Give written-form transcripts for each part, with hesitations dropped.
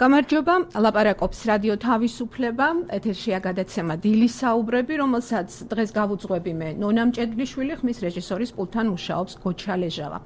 გამარჯობა, ლაპარაკობს რადიო თავისუფლება, ეთერშია გადაცემა დილის საუბრები, რომელსაც დღეს გავუძღვები მე ნონა მჭედლიშვილი, ხმის რეჟისორის პულტთან მუშაობს გოჩა ლეჟავა.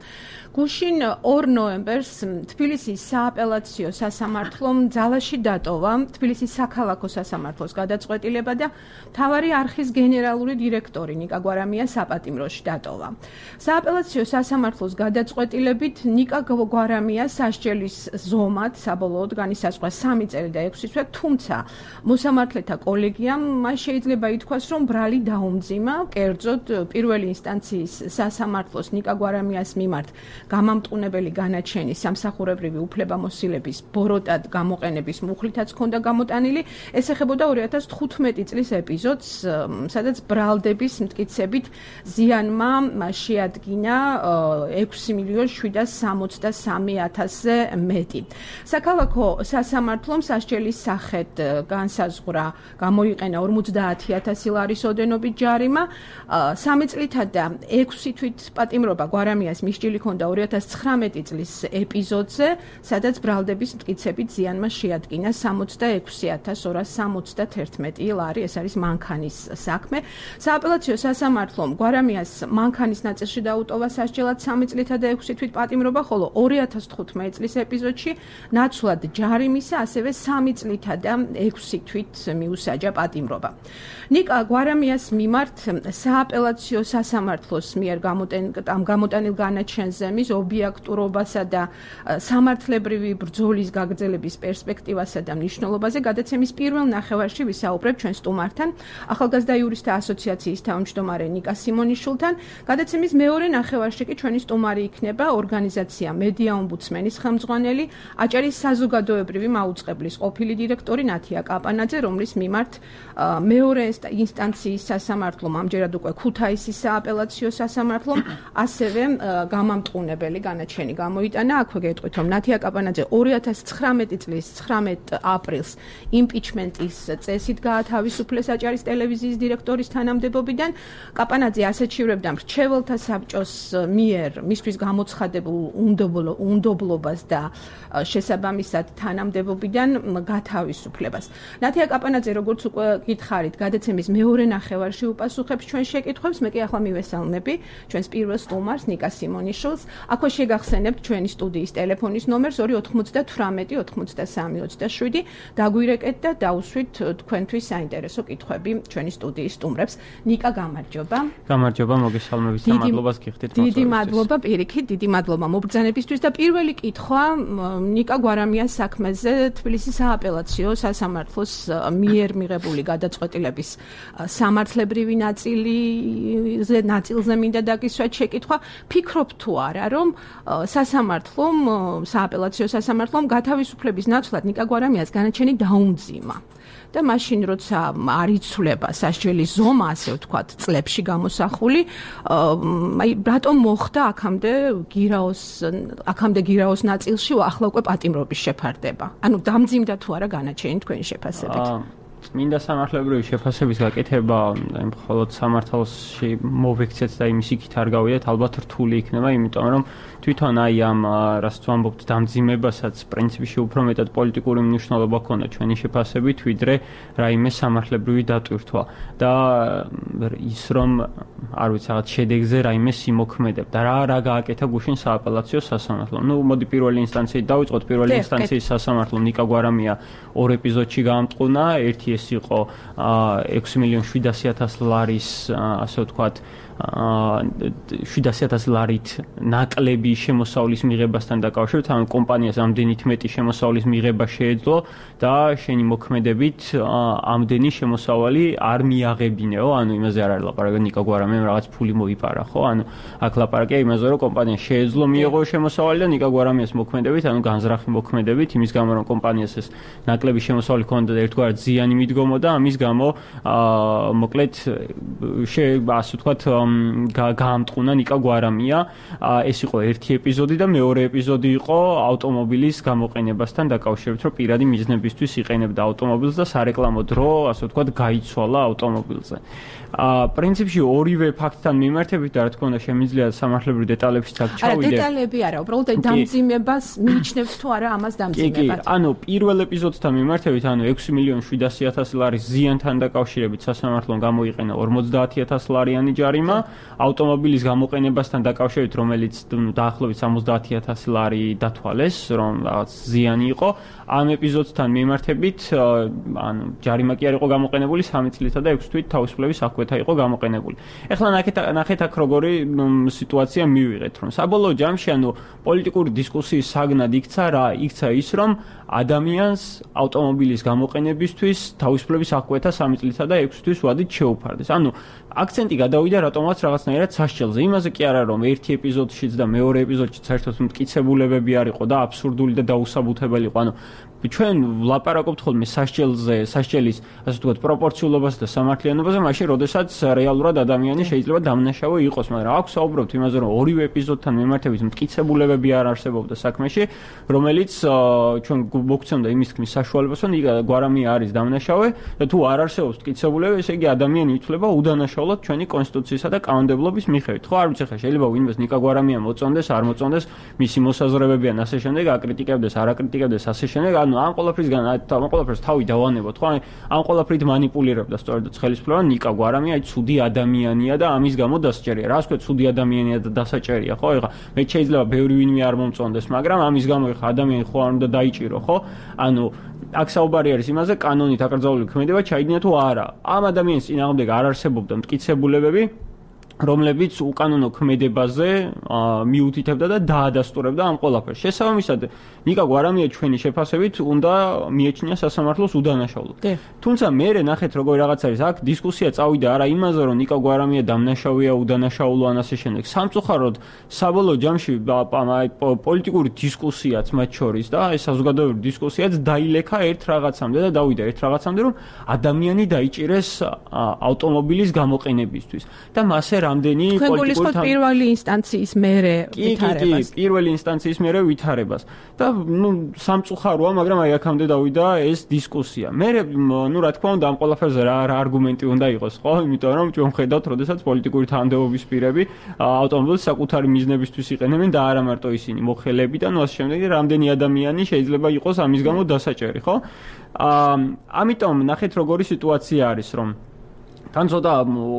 გუშინ 2 ნოემბერს თბილისის სააპელაციო სასამართლომ ძალაში დატოვა თბილისის საქალაქო სასამართლოს გადაწყვეტილება და მთავარი არხის გენერალური დირექტორი ნიკა გვარამია საპატიმროში დატოვა. სააპელაციო სასამართლოს გადაწყვეტილებით ნიკა გვარამია სასჯელის ზომად საბოლოოდ განისაზღვრა 3 წელი და 6 თვე, თუმცა მოსამართლეთა კოლეგიამ მას შეიძლება ითქვას, რომ ბრალი დაუმძიმა, კერძოდ პირველი ინსტანციის სასამართლოს ნიკა გვარამიას მიმართ გამამტყუნებელი განაჩენის სამსახურებრივი უფლებამოსილების ბოროტად გამოყენების მუხლითაც ჰქონდა გამოტანილი. ეს ეხებოდა 2015 წლის ეპიზოდს, სადაც ბრალდების მტკიცებით ზიანმა შეადგინა 6,763,000-ზე მეტი. საქალაქო სასამართლომ სასჯელის სახედ განსაზღვრა გამოიყენა 50,000 ლარის ოდენობით ჯარიმა, 3 წლითა და 6 თვით პატიმრობა გვარამიას მისჯილი ჰქონდა 2019 წლის ეპიზოდზე, სადაც ბრალდების მტკიცებით ზიანმა შეადგინა 66,271 ლარი, ეს არის მანქანის საქმე. სააპელაციო სასამართლომ გვარამიას მანქანის ნაწილში დაუტოვა სასჯელად 3 წლითა და 6 თვით პატიმრობა, ხოლო 2015 წლის ეპიზოდში ნაცვლად ჯარიმისა, ასევე 3 წლითა და 6 თვით მიუსაჯა პატიმრობა. ნიკა გვარამიას მიმართ სააპელაციო სასამართლოს მიერ გამოტანილ განაჩენზე მის ობიექტურობასა და სამართლებრივი ბრძოლის გაგრძელების პერსპექტივასა და მნიშვნელობაზე გადაცემის პირველ ნახევარში ვისაუბრებ ჩვენ სტუმართან, ახალგაზრდა იურისტთა ასოციაციის თავმჯდომარე ნიკა სიმონიშვილთან. გადაცემის მეორე ნახევარში კი ჩვენი სტუმარი იქნება ორგანიზაცია მედია ომბუდსმენის ხელმძღვანელი, აჭარის საზოგადოებრივი მაუწყებლის ყოფილი დირექტორი ნათია კაპანაძე, რომლის მიმართ მეორე ინსტანციის სასამართლომ, ამჯერად უკვე ქუთაისის სააპელაციო სასამართლომ, ასევე გამამტყუნებელი განაჩენი გამოიტანა. აქვე გეტყვით, რომ ნათია კაპანაძე 2019 წლის 19 აპრილს იმპიჩმენტის წესით გაათავისუფლეს აჭარის ტელევიზიის დირექტორის თანამდებობიდან. კაპანაძე ასაჩივრებდა მრჩეველთა საბჭოს მიერ მისთვის გამოცხადებულ უნდობლობას და შესაბამისად თანამდებობიდან გათავისუფლებას. ნათია კაპანაძე, როგორც უკვე გითხარით, გადაცემის მეორე ნახევარში უპასუხებს ჩვენ შეკითხვებს. მე კი ახლა მივესალმები ჩვენს პირველ სტუმარს ნიკა სიმონიშვილს. აქვე შეგახსენებთ ჩვენი სტუდიის ტელეფონის ნომერს 298 83 27. დაგვირეკეთ და დაუსვით თქვენთვის საინტერესო კითხვები ჩვენი სტუდიის სტუმრებს. ნიკა, გამარჯობა. გამარჯობა, მოგესალმებით და მადლობას გიხდით. დიდი მადლობა, პირიქით, დიდი მადლობა მობრძანებისთვის და პირველი კითხვა ნიკა გვარამიას საქმეზე თბილისის სააპელაციო სასამართლოს მიერ მიღებული გადაწყვეტილების სამართლებრივი ნაწილზე მინდა დაგისვათ შეკითხვა. ფიქრობ თუ არა, რომ სააპელაციო სასამართლომ გათავისუფლების ნაცვლად ნიკა გვარამიას განაჩენი დაუმძიმა და მაშინ როცა არ იცვლება სასჯელის ზომა, ასე ვთქვათ, წლებში გამოსახული, რატომ მოხდა აქამდე გირაოს ნაწილში ახლა უკვე პატიმრობის შეფარდება? ანუ დამძიმდა თუ არა განაჩენი თქვენი შეფასებით? წმინდა სამართლებრივი შეფასების გაკეთება მხოლოდ სამართალში მოვექცეთ და იმის იქით არ გავიდეთ, ალბათ რთული იქნება, იმიტომ რომ თვითონ ამ რასაც ვამბობთ დამძიმებასაც პრინციპში უფრო მეტად პოლიტიკური მნიშვნელობა ჰქონდა ჩვენი შეფასებით, ვიდრე რაიმე სამართლებრივი დატვირთვა და ის რომ არ ვიცი რაღაც შედეგზე რაიმე სიმოქმედებდა. რა გააკეთა გუშინ სააპელაციო სასამართლომ. მოდი პირველი ინსტანციით დავიწყოთ. პირველი ინსტანციის სასამართლომ ნიკა გვარამია 2 ეპიზოდში გაამტყუნა. ერთი ეს იყო 6,700,000 ლარის, ასე ვთქვათ, 700,000 ლარით ნაკლები შემოსავლის მიღებასთან დაკავშირებით, ანუ კომპანიას ამდენით მეტი შემოსავლის მიღება შეეძლო და შენი მოქმედებით ამდენი შემოსავალი არ მიაღებინეო, ანუ იმაზე არ არის ლაპარაკი, ნიკა გვარამიამ რაღაც ფული მოიპარა, ხო? ანუ აქ ლაპარაკია იმაზე, რომ კომპანიას შეეძლო მიეღო შემოსავალი და ნიკა გვარამიას მოქმედებით, ანუ განზრახი მოქმედებით, იმის გამო რომ კომპანიას ეს ნაკლები შემოსავალი ჰქონდა და ერთგვარად ზიანი მიდგომოდა, ამის გამო მოკლედ ასე ვთქვათ გაამტყუნა ნიკა გვარამია. ეს იყო ერთი ეპიზოდი და მეორე ეპიზოდი იყო ავტომობილის გამოყენებასთან დაკავშირებით, რომ პირადი მიზნებისთვის იყენებდა ავტომობილს და სარეკლამო დრო, ასე ვთქვათ, გაიცვალა ავტომობილზე. პრინციპში ორივე ფაქტთან მიმართებით და რა თქმა უნდა შემიძლია სამართლებრივ დეტალებში ჩავიდე. არა, დეტალები არა, უბრალოდ დამძიმებას მიიჩნევთ თუ არა ამას დამძიმებად. ანუ პირველ ეპიზოდთან მიმართებით, ანუ 6,700,000 ლარის ზიანთან დაკავშირებით სასამართლომ გამოიყენა 50,000 ლარიანი ჯარიმა, ავტომობილის გამოყენებასთან დაკავშირებით, რომელიც დაახლოებით 70,000 ლარი დათვალეს, რომ რაღაც ზიანი იყო. ამ ეპიზოდთან მიმართებით, ანუ ჯარიმა კი არ იყო გამოყენებული 3 წლითა და 6 თვით თავისუფლების საკვეთა იყო გამოყენებული. ეხლა ნახეთ აქ როგორი სიტუაცია მივიღეთ, რომ საბოლოო ჯამში, ანუ პოლიტიკური დისკუსიის საგნად იქცა ის, რომ ადამიანს ავტომობილის გამოყენებისთვის თავისუფლების საკვეთა 3 წლითა და 6 თვის ვადით შეუფარდეს. ანუ აქცენტი გადავიდა რატომაც რაღაცნაირად სასჯელზე. იმაზე კი არა, რომ ერთი ეპიზოდშიც და მეორე ეპიზოდშიც საერთოდ მტკიცებულებები არ იყო და აბსურდული და დაუსაბუთებელი იყო. ანუ ჩვენ ვლაპარაკობთ ხოლმე სასჯელის, ასე ვთქვათ, პროპორციულობაზე და სამართლიანობაზე, მაშინ, როდესაც რეალურად ადამიანი შეიძლება დამნაშავე იყოს, მაგრამ აქ საუბრობთ იმაზე, რომ ორივე ეპიზოდთან მიმართებით მტკიცებულებები არ არსებობდა საქმეში, რომელიც ჩვენ მოგცემდა იმის თქმის საშუალებას, რომ გვარამია არის დამნაშავე და თუ არ არსებობს მტკიცებულება, ესე იგი ადამიანი ითვლება უდანაშაულად ჩვენი კონსტიტუციისა და კანონმდებლობის მიხედვით. ხო, არ ვიცი ხა შეიძლება ვინმეს ნიკა გვარამია მოწონდეს, არ მოწონდეს, მისი მოსაზრებები ან ასე შემდეგ, აკრიტიკებდეს, არ აკრიტიკებდეს, ასე შემდეგ. ანუ ამ ყველაფერს თავი დავანებოთ, ხო? ამ ყველაფრით манипуლირებდა სწორედ ხელისუფლება, ნიკა გვარამია აი ცუდი ადამიანია და ამის გამო დასაჭერია. რა ვთქვი, ცუდი ადამიანია და დასაჭერია, ხო? ეხლა მე შეიძლება ბევრი ვინმე არ მომწონდეს, მაგრამ ამის გამო ეხლა ადამიანი ხო არ უნდა დაიჭირო, ხო? ანუ აქ საუბარი არის იმაზე, კანონით აკრძალული ქმედება ჩაიდინა თუ არა. ამ ადამიანის წინააღმდეგ არ არსებობდა მტკიცებულებები, რომლებიც უკანონო ქმედებაზე მიუთითებდა და დაადასტურებდა ამ ყველაფერს. შესაბამისად, ნიკა გვარამია ჩვენი შეფასებით უნდა მიეჩნია სასამართლოს უდანაშაულოდ. თუმცა მე ნახეთ როგორი რაღაც არის, აქ დისკუსია წავიდა არა იმაზე, რომ ნიკა გვარამია დამნაშავეა, უდანაშაულო ან ასე შემდეგ. სამწუხაროდ, საბოლოო ჯამში პოლიტიკური დისკუსიაც მათ შორის და ეს საზოგადოებრივი დისკუსიაც დაილექა ერთ რაღაცამდე და დავიდა ერთ რაღაცამდე, რომ ადამიანი დაიჭირეს ავტომობილის გამოყენებისთვის და მასე რამდენი პოლიტიკური პირველი ინსტანციის მერე ვითარებას. კი, პირველი ინსტანციის მერე ვითარებას. და სამწუხაროა, მაგრამ აი აქამდე დავიდა ეს დისკუსია. მე რა თქმა უნდა ამ ყველაფერზე რა არგუმენტი უნდა იყოს, ხო? იმიტომ რომ ჩვენ ხედავთ, როდესაც პოლიტიკური თანამდებობის პირები ავტომობილს საკუთარი მიზნებისთვის იყენებენ და არა მარტო ისინი, მოხელეები და ასე შემდეგ, რამდენი ადამიანი შეიძლება იყოს ამის გამო დასაჭერი, ხო? ამიტომ ნახეთ როგორი სიტუაცია არის, რომ თან ცოტა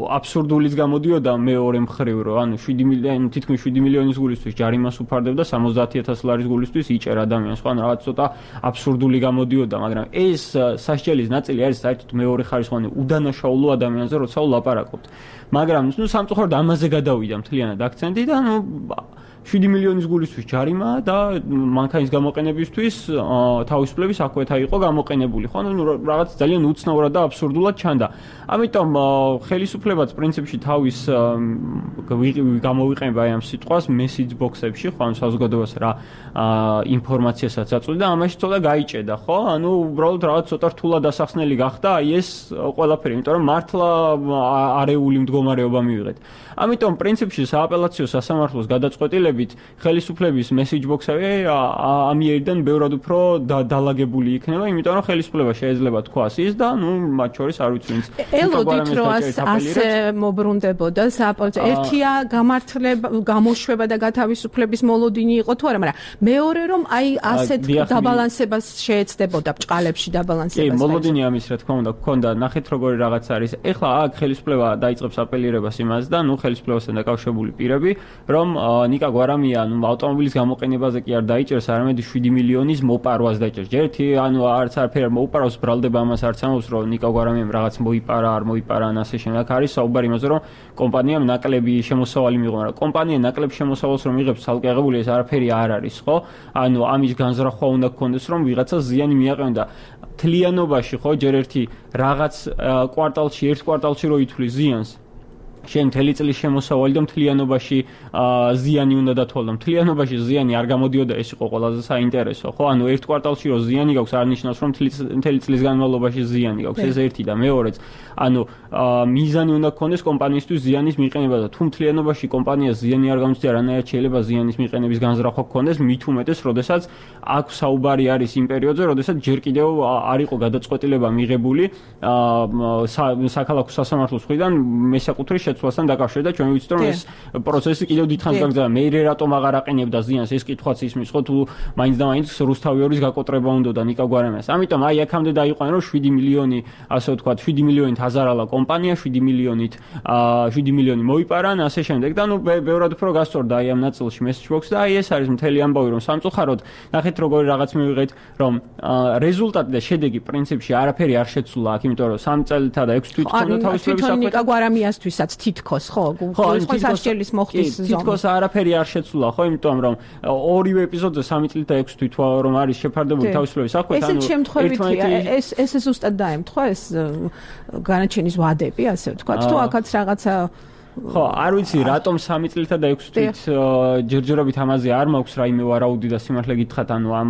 აბსურდულიც გამოდიოდა მეორე მხრივ, რომ ანუ 7 მილიონის გულისთვის ჯარიმას უფარდებდა 70,000 ლარის გულისთვის იჭერ ადამიანს, ხო? ანუ რაღაც ცოტა აბსურდული გამოდიოდა, მაგრამ ეს სასჯელის ნაწილი არის საერთოდ მეორე ხარისხოვანი უდანაშაულო ადამიანზე, როცა ვლაპარაკობთ. მაგრამ სამწუხაროდ ამაზე გადავიდა მთლიანად აქცენტი და 7 მილიონის გულისთვის ჯარიმა და მანქანის გამოყენებისთვის თავისუფლების საკვეთა იყო გამოყენებული, ხო? ანუ რაღაც ძალიან უცნაურად და აბსურდულად ჩანდა. ამიტომ ხელისუფლებაც პრინციპში თავის გამოვიყენება ამ სიტყვას message box-ებში, ხო? ანუ საზოგადოებას რა ინფორმაციასაც აწვდიდა, ამაში ცოტა გაიჭედა, ხო? ანუ უბრალოდ რაღაც ცოტა რთულად ასახსნელი გახდა აი ეს ყველაფერი, იმიტომ რომ მართლა არეული მდგომარეობა მივიღეთ. ამიტომ პრინციპში სააპელაციო სასამართლოს გადაწყვეტილებით ხელისუფლების message box-ები ამიერიდან ბევრად უფრო დალაგებული იქნება, იმიტომ რომ ხელისუფლება შეიძლება თქვას ის და მათ შორის არ ვიცი ვინც ელოდით რომ ასე მობრუნდებოდა სააპელაციო ერთია გამართლება, გამოშვება და გათავისუფლების მოლოდინი იყო თუ არა, მაგრამ მეორე რომ აი ასეთ დაბალანსებას შეეცდებოდა ბჭყალებში დაბალანსებას. კი, მოლოდინი ამის რა თქმა უნდა გქონდა, ნახეთ როგორი რაღაც არის. ეხლა აქ ხელისუფლება დაიწყებს აპელირებას იმას და ხელისუფლებასთან დაკავშირებული პირები, რომ ნიკა გვარამია ავტომობილის გამოყენებაზე კი არ დაიჭერს, არამედ 7 მილიონის მოპარვას დაიჭერს. ჯერთი არც არაფერი არ მოუპარავს, ბრალდება ამას არც ამბობს, რომ ნიკა გვარამიამ რაღაც მოიპარა, არ მოიპარა ან ასე შემდეგ. აქ არის საუბარი იმაზე, რომ კომპანიამ ნაკლები შემოსავალი მიიღო, მაგრამ კომპანია ნაკლებ შემოსავალს რომ იღებს ცალკე აღებული, ეს არაფერი არ არის, ხო? ანუ ამის განზრახვა უნდა გქონდეს, რომ ვიღაცა ზიანი მიაყენო და თლიანობაში, ხო, ჯერ ერთი რაღაც კვარტალში, ერთ კვარტალში რო ითვლის ზიანს მთელი წლის შემოსავალი და მთლიანობაში ზიანი უნდა დათვალო. მთლიანობაში ზიანი არ გამოდიოდა, ეს იყო ყველაზე საინტერესო, ხო? ანუ ერთ კვარტალში რო ზიანი გაქვს, არ ნიშნავს, რომ მთელი წლის განმავლობაში ზიანი გაქვს. ეს ერთი და მეორეც, ანუ მიზანი უნდა გქონდეს კომპანიისთვის ზიანის მიყენება და თუ მთლიანობაში კომპანიას ზიანი არ გამოცდია, რანაირად შეიძლება ზიანის მიყენების განზრახვა გქონდეს, მით უმეტეს, როდესაც აქ საუბარი არის იმ პერიოდზე, როდესაც ჯერ კიდევ არ იყო გადაწყვეტილება მიღებული საქალაქო სასამართლოს მხრიდან მესაკუთრის შეცვლასთან დაკავშირებით და ჩვენ ვიცით, რომ ეს პროცესი კიდევ დიდხანს გაგრძელდა. მე რატომ აღარ აყენებდა ზიანს, ეს კითხვაც ისმის, ხო, თუ მაინც და მაინც რუსთავიორის გაკოტრება უნდოდა ნიკა გვარამიას. ამიტომ აი აქამდე დაიყვანა, რომ 7 მილიონი, ასე ვთქვათ, 7 მილიონით აზარალა კომპანია, 7 მილიონი მოიპარან, ასე შემდეგ და ნუ ბევრად უფრო გასწორდა აი ამ ნაწილში message box და აი ეს არის მთელი ამბავი, რომ სამწუხაროდ ნახეთ როგორი რაღაც მივიღეთ, რომ რეზულტატი და შედეგი პრინციპში არაფერი არ შეცვლა აქ, იმიტომ რომ 3 წელიწად და 6 თვით ქონდა თავისუფლების საქმე. ნიკა გვარამიასთვისაც თითქოს, ხო, გულისხმობს სასჯელის მოხდის ზონა. თითქოს არაფერი არ შეცვლა, ხო, იმიტომ რომ ორივე ეპიზოდზე 3 წელი და 6 თვით რომ არის შეფარდებული თავისუფლების საქმე, ანუ ეს შემთხვევითია, ეს ზუსტად დაემთხვა ეს განაჩენის ვადები, ასე ვთქვათ, თუ აქაც რაღაცა ხო, არ ვიცი, რატომ 3 წელიწად და 6 თვით ჯერჯერობით ამაზე არ მაქვს რაიმე ვარაუდი და სიმართლე გითხრათ, ანუ ამ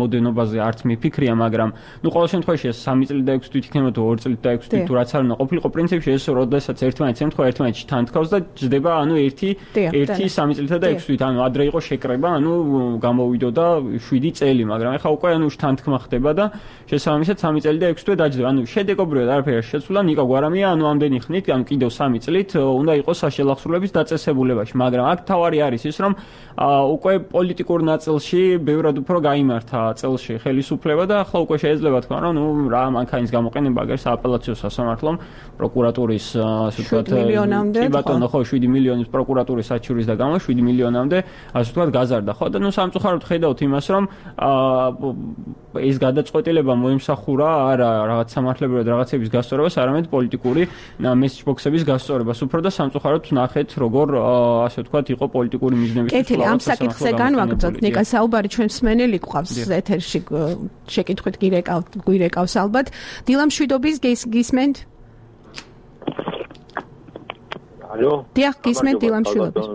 მოდენობაზე არც მიფიქრია, მაგრამ ნუ ყოველ შემთხვევაში ეს 3 წელი და 6 თვით იქნება თუ 2 წელი და 6 თვით თუ რაც არ უნდა ყოფილიყო პრინციპში ეს როდესაც ერთმანეთს ემთხვევა, ერთმანეთში თან თქავს და ჯდება, ანუ ერთი 3 წელიწად და 6 თვით, ანუ ადრე იყო შეკრება, ანუ გამოვიდოდა 7 წელი, მაგრამ ეხლა უკვე ანუ შთანთქმა ხდება და შესაბამისად 3 წელი და 6 თვე დაჯდება. ანუ შედეგობრივად არაფერი არ შეცვლა, ნიკა გვარამია, ანუ ამდენი ხნით, ანუ კიდევ 3 წლით უნდა იყოს საშელახსრულების დაწესებულებაში, მაგრამ აქ თავარი არის ის, რომ უკვე პოლიტიკურ ნაწილში ბევრად უფრო გაიმართა წელში ხელისუფლება და ახლა უკვე შეიძლება თქვა, რომ ნუ რა მანქანის გამოყენება აგერ სააპელაციო სასამართლომ პროკურატურის ასე ვთქვათ, კი ბატონო, ხო, 7 მილიონის პროკურატურის საჩურის და გამო 7 მილიონამდე ასე ვთქვათ გაზარდა, ხო და ნუ სამწუხაროდ ხედავთ იმას, რომ ეს გადაწყვეტილება მოიმსახურა არა რაღაც სამართლებრივად რაღაცების გასწორებას, არამედ პოლიტიკური message box-ების გასწორებას უფრო და სამწუხაროდ ნახეთ როგორ ასე ვთქვათ იყო პოლიტიკური მიზნების კეთილი ამ საკითხზე განვაგრძოთ ნიკა საუბარი ჩვენ მსმენელი გვყავს ეთერში შეკითხვით გვირეკავს ალბათ დილამ შვიდობის გისმენთ ალო დიახ გისმენთ დილამ შვიდობის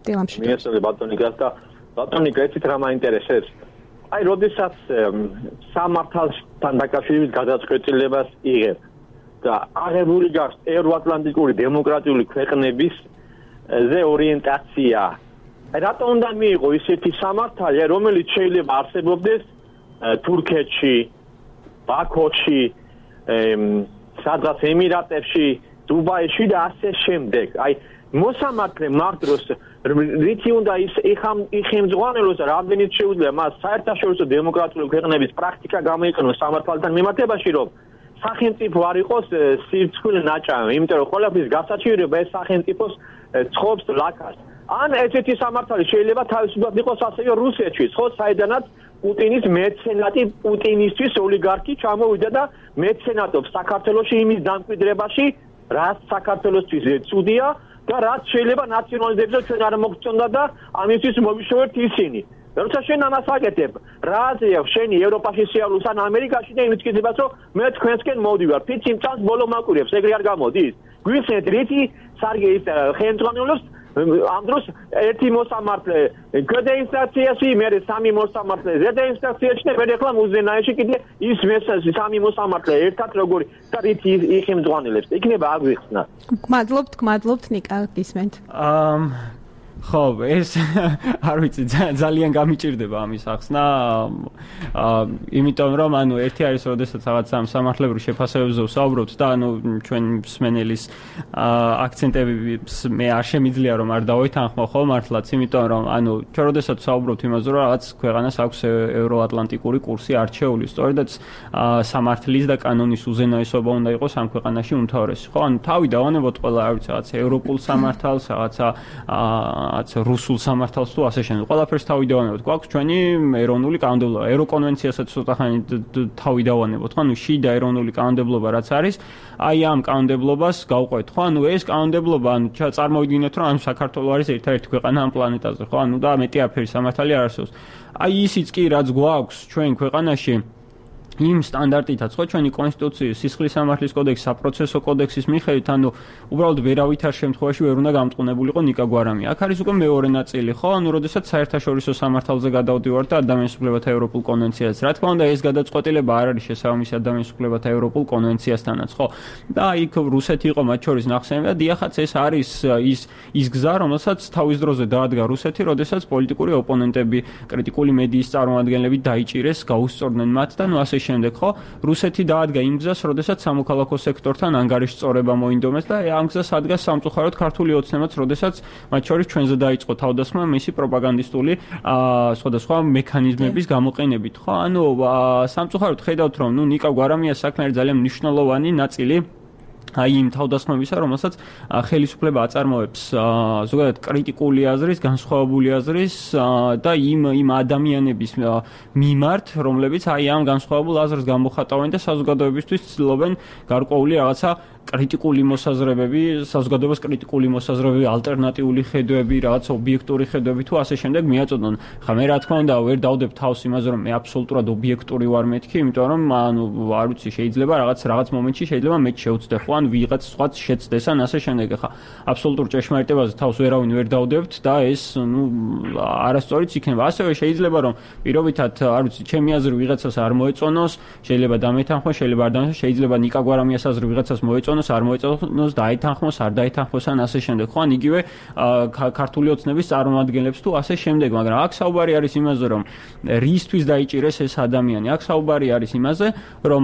დილამ შვიდობის მიესწრე ბატონიკას და ბატონიკა ეცით რა მაინტერესებს აი როდესაც სამართალთან დაკავშირებით გადაწყვეტილებას იღებ და აღებული გაქვს ევროატლანტიკური დემოკრატიული ქვეყნების ზე ორიენტაცია. რატომ უნდა მიიღო ისეთი სამართალი, რომელიც შეიძლება არსებობდეს თურქეთში, ბაქოში, სადღაც ემირატებში, დუბაიში და ასე შემდეგ. აი მოსამართლე მაგდროს რითი უნდა იხემძღვანელოს და რამდენიც შეუძლია მას საერთაშორისო დემოკრატიული ქვეყნების პრაქტიკა გამოიყენოს სამართალთან მიმართებაში, რომ სახელმწიფო არ იყოს სირცხვილი ნაჭამი, იმიტომ რომ ყველაფრის გასაჩივრება ეს სახელმწიფოს ცხობს ლაქას. ან ესეთი სამართალი შეიძლება თავისუფლად იყოს ასევე რუსეთში, ხო, საიდანაც პუტინის მეცენატი, პუტინისთვის ოლიგარქი ჩამოვიდა და მეცენატობს საქართველოში იმის დამკვიდრებაში, რაც საქართველოსთვის ცუდია და რაც შეიძლება ნაციონალიზებზე ჩვენ არ მოგწონდა და ამისთვის მოვიშოვეთ ისინი. როცა შენ ამას აკეთებ, რა აზრია შენი ევროპაში სიახლოვეს ან ამერიკაში და იმის კითხებას, რომ მე თქვენსკენ მოვდივარ, ფიცი მწანს ბოლო მაკვირებს, ეგრე არ გამოდის. გვიხსენეთ რითი სარგე ის ხელმძღვანელობს ამ დროს ერთი მოსამართლე ქვედა ინსტანციაში, მერე სამი მოსამართლე ზედა ინსტანციაში და მერე ახლა მუზენაიში კიდე ის სამი მოსამართლე ერთად როგორი და რითი იხემძღვანელებს. იქნება აგვიხსნა. გმადლობთ ნიკა გისმენთ. ხო, ეს არ ვიცი, ძალიან გამიჭირდება ამის ახსნა. იმიტომ რომ ანუ ერთი არის, როდესაც რაღაც სამართლებრივ შეფასებებზე ვსაუბრობთ და ანუ ჩვენ მსმენელის აქცენტებს მე არ შემიძლია რომ არ დავეთანხმო ხო მართლაც, იმიტომ რომ ანუ ჩვენ როდესაც ვსაუბრობთ იმაზე, რომ რაღაც ქვეყანას აქვს ევროატლანტიკური კურსი არჩეული, სწორედაც სამართლის და კანონის უზენაესობა უნდა იყოს ამ ქვეყანაში უმთავრესი. ხო, ანუ თავი დავანებოთ ყველა, არ ვიცი, რაღაც ევროპულ სამართალს, რაღაცა რუსულ სამართალს თუ ასე შემდეგ. ყველაფერს თავი დავანებოთ. გვაქვს ჩვენი ეროვნული კანონმდებლობა, ევროკონვენციასაც ცოტა ხანი თავი დავანებოთ. ხო, ანუ შიდა ეროვნული კანონმდებლობა რაც არის, აი ამ კანონმდებლობას გავყვეთ. ხო, ანუ ეს კანონმდებლობა, ანუ წარმოვიდგინოთ, რომ საქართველო არის ერთადერთი ქვეყანა ამ პლანეტაზე, ხო? ანუ და მეტი აფერი სამართალი არ არსებობს. აი ისიც კი რაც გვაქვს ჩვენ ქვეყანაში იმ სტანდარტითაც ხო ჩვენი კონსტიტუციის სისხლის სამართლის კოდექსი, საპროცესო კოდექსის მიხედვით, ანუ უბრალოდ ვერავითარ შემთხვევაში ვერ უნდა გამწყნებულიყო ნიკა გვარამია. აქ არის უკვე მეორე ნაწილი, ხო? ანუ როდესაც საერთაშორისო სამართალზე გადავდივართ და ადამიანის უფლებათა ევროპულ კონვენციაზე. რა თქმა უნდა, ეს გადაწყვეტილება არ არის შესაბამისი ადამიანის უფლებათა ევროპულ კონვენციასთანაც, ხო? და იქ რუსეთი იყო მათ შორის ნახსენები და დიახაც ეს არის ის გზა, რომელსაც თავის დროზე დაადგა რუსეთი, როდესაც პოლიტიკური ოპონენტები, კრიტიკული მედიის წარმომადგენლები დაიჭირეს, გაუსწორდნენ მათ და ნუ ასე შემდეგ, ხო? რუსეთი დაადგა იმ გზას, როდესაც სამოქალაქო სექტორთან ანგარიშწორება მოინდომეს და ამ გზას ადგა სამწუხაროდ ქართული ოცნებაც, როდესაც მათ შორის ჩვენზე დაიწყო თავდასხმა მისი პროპაგანდისტული სხვადასხვა მექანიზმების გამოყენებით, ხო? ანუ სამწუხაროდ ხედავთ, რომ ნუ ნიკა გვარამიას საქმე არის ძალიან მნიშვნელოვანი ნაწილი აი იმ თავდასხმებისა, რომელსაც ხელისუფლება აწარმოებს ზოგადად კრიტიკული აზრის, განსხვავებული აზრის და იმ ადამიანების მიმართ, რომლებიც აი ამ განსხვავებულ აზრს გამოხატავენ და საზოგადოებისთვის ცდილობენ გარკვეული რაღაცა კრიტიკული მოსაზრებები, საზოგადოებას კრიტიკული მოსაზრებები, ალტერნატიული ხედვები, რაღაც ობიექტური ხედვები თუ ასე შემდეგ მიაწოდონ. ხა მე რა თქმა უნდა ვერ დავდებ თავს იმაზე, რომ მე აბსოლუტურად ობიექტური ვარ მეთქი, იმიტომ რომ ანუ არ ვიცი, შეიძლება რაღაც მომენტში შეიძლება მე შეუცდე ხო, ან ვიღაც სხვაც შეცდეს ან ასე შემდეგ. ხა აბსოლუტურ ჭეშმარიტებაზე თავს ვერავინ ვერ დავდებთ და ეს ნუ არასწორიც იქნება. ასევე შეიძლება რომ პირობითად, არ ვიცი, ჩემი აზრი ვიღაცას არ მოეწონოს, შეიძლება დამეთანხმოს, შეიძლება არ დამეთანხმოს, შეიძლება ნიკა გვარამიას აზრი ვიღაცას მოეწონოს, არ მოეწონოს, დაეთანხმოს, არ დაეთანხმოს ან ასე შემდეგ. ხო, ან იგივე ქართული ოცნების წარმომადგენლებს თუ ასე შემდეგ, მაგრამ აქ საუბარი არის იმაზე, რომ რისთვის დაიჭირეს ეს ადამიანი. აქ საუბარი არის იმაზე, რომ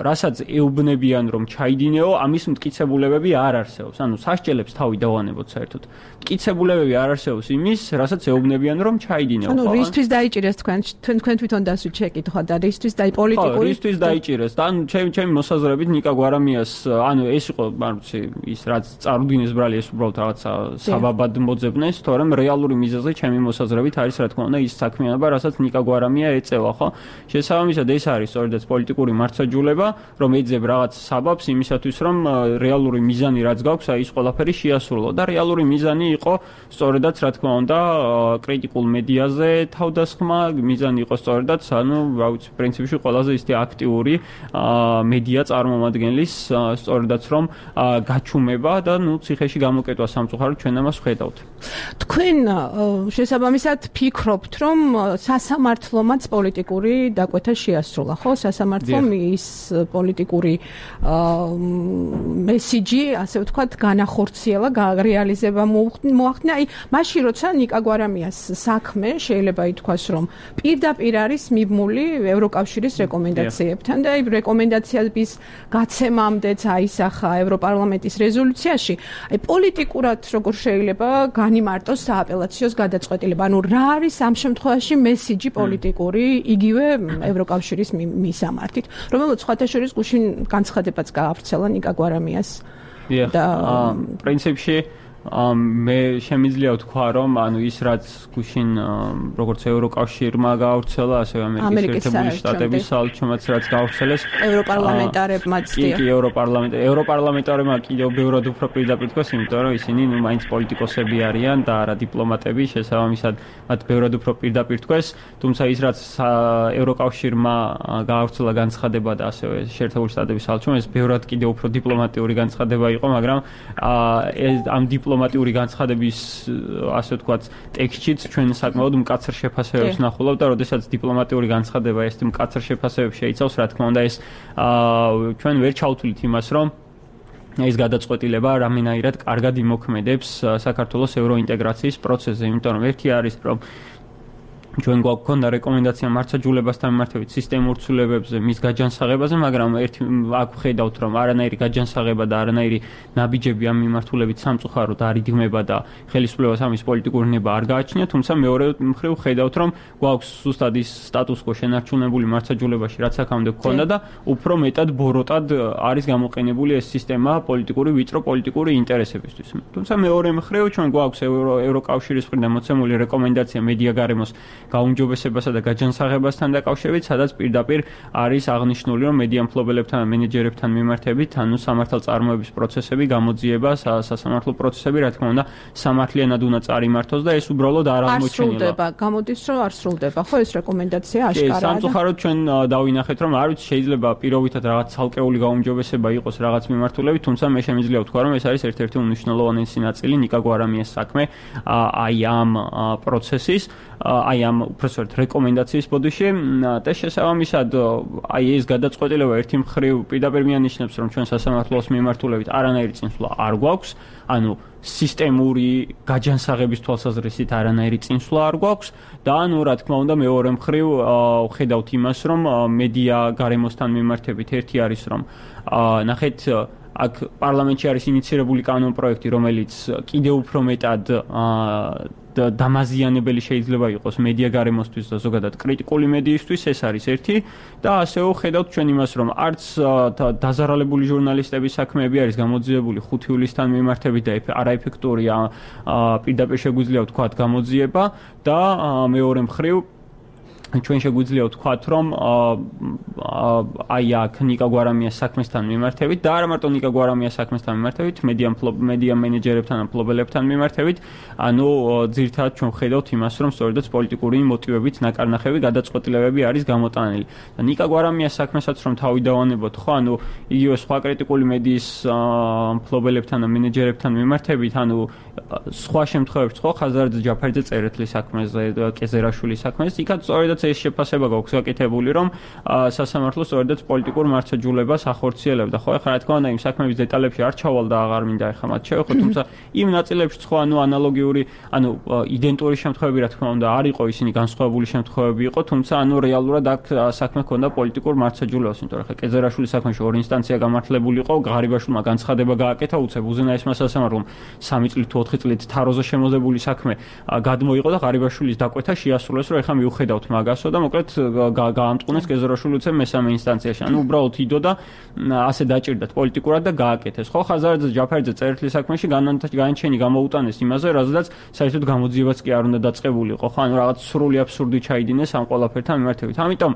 რასაც ეუბნებიან, რომ ჩაიდინეო, ამის მტკიცებულებები არ არსებობს. ანუ სასჯელებს თავი დავანებოთ საერთოდ. მტკიცებულებები არ არსებობს იმის, რასაც ეუბნებიან, რომ ჩაიდინეო. ანუ რისთვის დაიჭირეს თქვენ თვითონ დასვით შეკითხვა და რისთვის პოლიტიკური რისთვის დაიჭირეს და ანუ ჩემი მოსაზრებით ნიკა გვარამიას ანუ ეს იყო, არ ვიცი, ის რაც წარუდგინეს ბრალი, ეს უბრალოდ რაღაცა საბაბად მოძებნეს, თორემ რეალური მიზეზი ჩემი მოსაზრებით არის, რა თქმა უნდა, ის საქმიანობა, რასაც ნიკა გვარამია ეწევა, ხო? შესაბამისად ეს არის სწორედაც პოლიტიკური მართლმსაჯულება, რომ ეძებ რაღაც საბაბს იმისათვის, რომ რეალური მიზანი რაც გვაქვს, აი ის ყველაფერი შეასრულო და რეალური მიზანი იყო სწორედაც, რა თქმა უნდა, კრიტიკულ მედიაზე თავდასხმა, მიზანი იყო სწორედაც, ანუ, რა ვიცი, პრინციპში ყველაზე ისეთი აქტიური მედია წარმომადგენლის სწორედაც რომ გაჩუმება და ნუ ციხეში გამოკეტვა სამწუხაროდ ჩვენ ამას ვხედავთ. თქვენ შესაბამისად ფიქრობთ, რომ სასამართლომაც პოლიტიკური დაკვეთა შეასრულა, ხო? სასამართლომ ის პოლიტიკური მესიჯი, ასე ვთქვათ, განახორციელა, რეალიზება მოახდინა. აი, მაშინ როცა ნიკა გვარამიას საქმე შეიძლება ითქვას, რომ პირდაპირ არის მიბმული ევროკავშირის რეკომენდაციებთან და აი რეკომენდაციების გაცემამდეც აისახა ევროპარლამენტის რეზოლუციაში. აი პოლიტიკურად როგორ შეიძლება განიმარტოს სააპელაციოს გადაწყვეტილება? ანუ რა არის ამ შემთხვევაში მესიჯი პოლიტიკური იგივე ევროკავშირის მისამართით, რომელსაც სხვათა შორის გუშინ განცხადებაც გაავრცელა ნიკა გვარამიას და პრინციპში მე შემიძლია ვთქვა, რომ ანუ ის რაც გუშინ როგორც ევროკავშირმა გაავრცელა, ასევე ამერიკის შეერთებული შტატების საელჩომაც რაც გაავრცელეს, ევროპარლამენტარებმაც კი ევროპარლამენტარებმა კიდევ ბევრად უფრო პირდაპირ თქვას, იმიტომ რომ ისინი ნუ მაინც პოლიტიკოსები არიან და არა დიპლომატები, შესაბამისად მათ ბევრად უფრო პირდაპირ თქვეს, თუმცა ის რაც ევროკავშირმა გაავრცელა განცხადება და ასევე შეერთებული შტატების საელჩომ, ეს ბევრად კიდევ უფრო დიპლომატიური განცხადება იყო, მაგრამ ამ დიპლომატიური განცხადების ასე ვთქვათ ტექსტშიც ჩვენ საკმაოდ მკაცრ შეფასებებს ნახულობთ და როდესაც დიპლომატიური განცხადება ეს მკაცრ შეფასებებს შეიცავს, რა თქმა უნდა ეს ჩვენ ვერ ჩავთვლით იმას, რომ ეს გადაწყვეტილება რამენაირად კარგად იმოქმედებს საქართველოს ევროინტეგრაციის პროცესზე, იმიტომ რომ ერთი არის, რომ ჩვენ გვაქვს რეკომენდაცია მართლმსაჯულებასთან მიმართებით სისტემურ ცვლილებებზე, მის გაჯანსაღებაზე, მაგრამ ერთი აქ ხედავთ, რომ არანაირი გაჯანსაღება და არანაირი ნაბიჯები ამ მიმართულებით სამწუხაროდ არ იგმება და ხელისუფლებას ამის პოლიტიკური ნება არ გააჩნია, თუმცა მეორე მხრივ ხედავთ, რომ გვაქვს ზუსტად ის სტატუს-კვო შენარჩუნებული მართლმსაჯულებაში, რაც აქამდე გვქონდა და უფრო მეტად ბოროტად არის გამოყენებული ეს სისტემა ვიწრო პოლიტიკური ინტერესებისთვის. თუმცა მეორე მხრივ ჩვენ გვაქვს ევროკავშირის მხრიდან მოცემული რეკომენდაცია მედია გარემოს გაუმჯობესებასა და გაჯანსაღებასთან დაკავშირებით, სადაც პირდაპირ არის აღნიშნული, რომ მედია მფლობელებთან და მენეჯერებთან მიმართებით, ანუ სამართალწარმოების პროცესები, გამოძიება, სასამართლო პროცესები, რა თქმა უნდა, სამართლიანად უნდა წარიმართოს და ეს უბრალოდ არ აღმოჩენილა. გამოდის რომ არ სრულდება, ხო ეს რეკომენდაცია აშკარაა. სამწუხაროდ ჩვენ დავინახეთ, რომ არ ვიცი, შეიძლება პირობითად რაღაც ცალკეული გაუმჯობესება იყოს რაღაც მიმართულებით, თუმცა მე შემიძლია ვთქვა, რომ ეს არის ერთ-ერთი უნიშნულოვანესი ნაწილი ნიკა გვარამიას საქმე აი ამ პროცესის, აი ამ უბრალოდ რეკომენდაციის ბოდიში და შესაბამისად აი ეს გადაწყვეტილება ერთი მხრივ პირდაპირ მიანიშნებს, რომ ჩვენ სასამართლოს მიმართულებით არანაირი წინსვლა არ გვაქვს, ანუ სისტემური გაჯანსაღების თვალსაზრისით არანაირი წინსვლა არ გვაქვს და ანუ რა თქმა უნდა მეორე მხრივ ვხედავთ იმას, რომ მედია გარემოსთან მიმართებით ერთი არის, რომ ნახეთ აქ პარლამენტში არის ინიცირებული კანონპროექტი, რომელიც კიდევ უფრო მეტად დამაზიანებელი შეიძლება იყოს მედია გარემოსთვის და ზოგადად კრიტიკული მედიისთვის, ეს არის ერთი და ასევე ვხედავთ ჩვენ იმას, რომ არც დაზარალებული ჟურნალისტების საქმეები არის გამოძიებული 5 ივლისთან მიმართებით და არაეფექტურია პირდაპირ შეგვიძლია ვთქვათ გამოძიება და მეორე მხრივ ჩვენ შეგვიძლია ვთქვათ, რომ აი აქ ნიკა გვარამიას საქმესთან მიმართებით და არა მარტო ნიკა გვარამიას საქმესთან მიმართებით, მედია მენეჯერებთან და მფლობელებთან მიმართებით, ანუ ძირითადად ჩვენ ვხედავთ იმას, რომ სწორედაც პოლიტიკური მოტივებით ნაკარნახები გადაწყვეტილებები არის გამოტანილი. და ნიკა გვარამიას საქმესაც რომ თავი დავანებოთ, ხო, ანუ იგივე სხვა კრიტიკული მედიის მფლობელებთან და მენეჯერებთან მიმართებით, ანუ სხვა შემთხვევებში, ხო, ხაზარაძე ჯაფარიძე წერეთლის საქმეზე, კეზერაშვილის საქმეზე, იქაც სწორედაც ეს შეფასება გვაქვს გაკეთებული, რომ სასამართლო სწორედაც პოლიტიკურ მარცხაჯულებას ახორციელებდა. ხო, ეხლა რა თქმა უნდა, იმ საქმეების დეტალებში არ ჩავალ და აღარ მინდა ეხლა მათ შევეხო, თუმცა იმ ნაწილებში ხო, ანუ ანალოგიური, ანუ იდენტური შემთხვევები რა თქმა უნდა არ იყო, ისინი განსხვავებული შემთხვევები იყო, თუმცა ანუ რეალურად აქ საქმე ჰქონდა პოლიტიკურ მარცხაჯულებას, იმიტომ რომ ხა კეზერაშვილის საქმეში ორი ინსტანცია გამართლებული იყო, ღარიბაშვილმა განცხადება გააკეთა უცებ უზენაესმა სასამართლომ 3 წლით თუ 4 წლით თაროზე შემოძებული საქმე გადმოიღო და ღარიბაშვილის დაკვეთა შეასრულეს, რომ ეხლა მივხედავთ მაგასო და მოკლედ გაამწყუნეს კეზერაშვილი უცებ მესამე ინსტანციაში. ანუ უბრალოდ იდო და ასე დაჭირდათ პოლიტიკურად და გააკეთეს. ხო, ხაზარაძე ჯაფარიძე წერეთლის საქმეში განჩენი გამოუტანეს იმაზე, რაზედაც საერთოდ გამოძიებაც კი არ უნდა დაწყებულიყო. ხო, ანუ რაღაც სრული აბსურდი ჩაიდინეს ამ ყველაფერთან მიმართებით. ამიტომ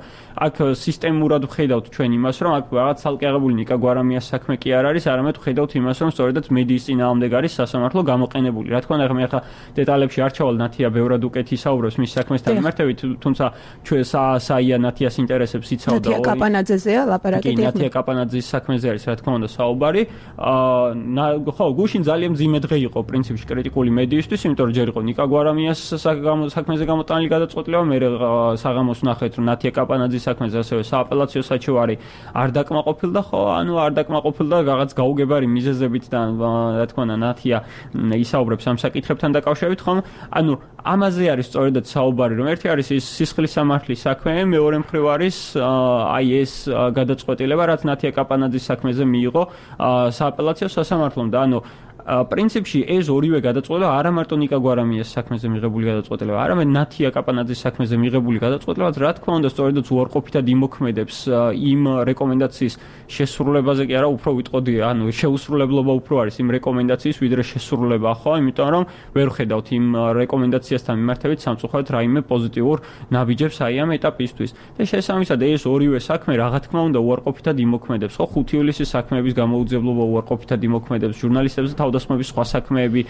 აქ სისტემურად ვხედავთ ჩვენ იმას, რომ აქ რაღაც ცალკე აღებული ნიკა გვარამიას საქმე კი არ არის, არამედ ვხედავთ იმას, რომ სწორედაც მედიის წინააღმდეგ არის სასამართლო გამოყენებული. რა თქმა უნდა, მე ახლა დეტალებში არ ჩავალ, ნათია ბევრად უკეთ ისაუბრებს მის საქმესთან მიმართებით, თუმცა ჩვენ საია ნათიას ინტერესებს იცავდა ნათია კაპანაძეზეა ლაპარაკი. კი, ნათია კაპანაძის საქმეზე არის, რა თქმა უნდა, საუბარი. ხო, გუშინ ძალიან მძიმე დღე იყო პრინციპში კრიტიკული მედიისთვის, იმიტომ რომ ჯერ იყო ნიკა გვარამიას საქმეზე გამოტანილი გადაწყვეტილება, მე საღამოს ნახეთ, რომ ნათია კაპანაძის საქმეზე ასევე სააპელაციო საჩივარი არ დაკმაყოფილდა, ხო, ანუ არ დაკმაყოფილდა რაღაც გაუგებარი მიზეზებით და რა თქმა უნდა, ნათია ისაუბრებს ამ საკითხებთან დაკავშირებით, ხომ? ანუ ამაზე არის სწორედაც საუბარი, რომ ერთი არის ის სისხლის სამართლის საქმე, მეორე მხრივ არის აი ეს გადაწყვეტილება, რაც ნათია კაპანაძის საქმეზე მიიღო სააპელაციო სასამართლომ და ანუ პრინციპში ეს ორივე გადაწყვეტილება არა მარტო ნიკა გვარამიას საქმეზე მიღებული გადაწყვეტილება, არამედ ნათია კაპანაძის საქმეზე მიღებული გადაწყვეტილებაც რა თქმა უნდა სწორედაც უარყოფითად იმოქმედებს იმ რეკომენდაციის შესრულებაზე კი არა, უფრო ვიტყოდი, ანუ შეუსრულებლობა უფრო არის იმ რეკომენდაციის ვიდრე შესრულება, ხო, იმიტომ რომ ვერ ხედავთ იმ რეკომენდაციასთან მიმართებით სამწუხაროდ რაიმე პოზიტიურ ნაბიჯებს აი ამ ეტაპისთვის. და შესაბამისად ეს ორივე საქმე რა თქმა უნდა უარყოფითად იმოქმედებს, ხო, 5 ივლისის საქმეების გამოუძიებლობა უარყოფითად იმოქმედებს ჟურნალისტებზე თავდასხმების სხვა საქმეები,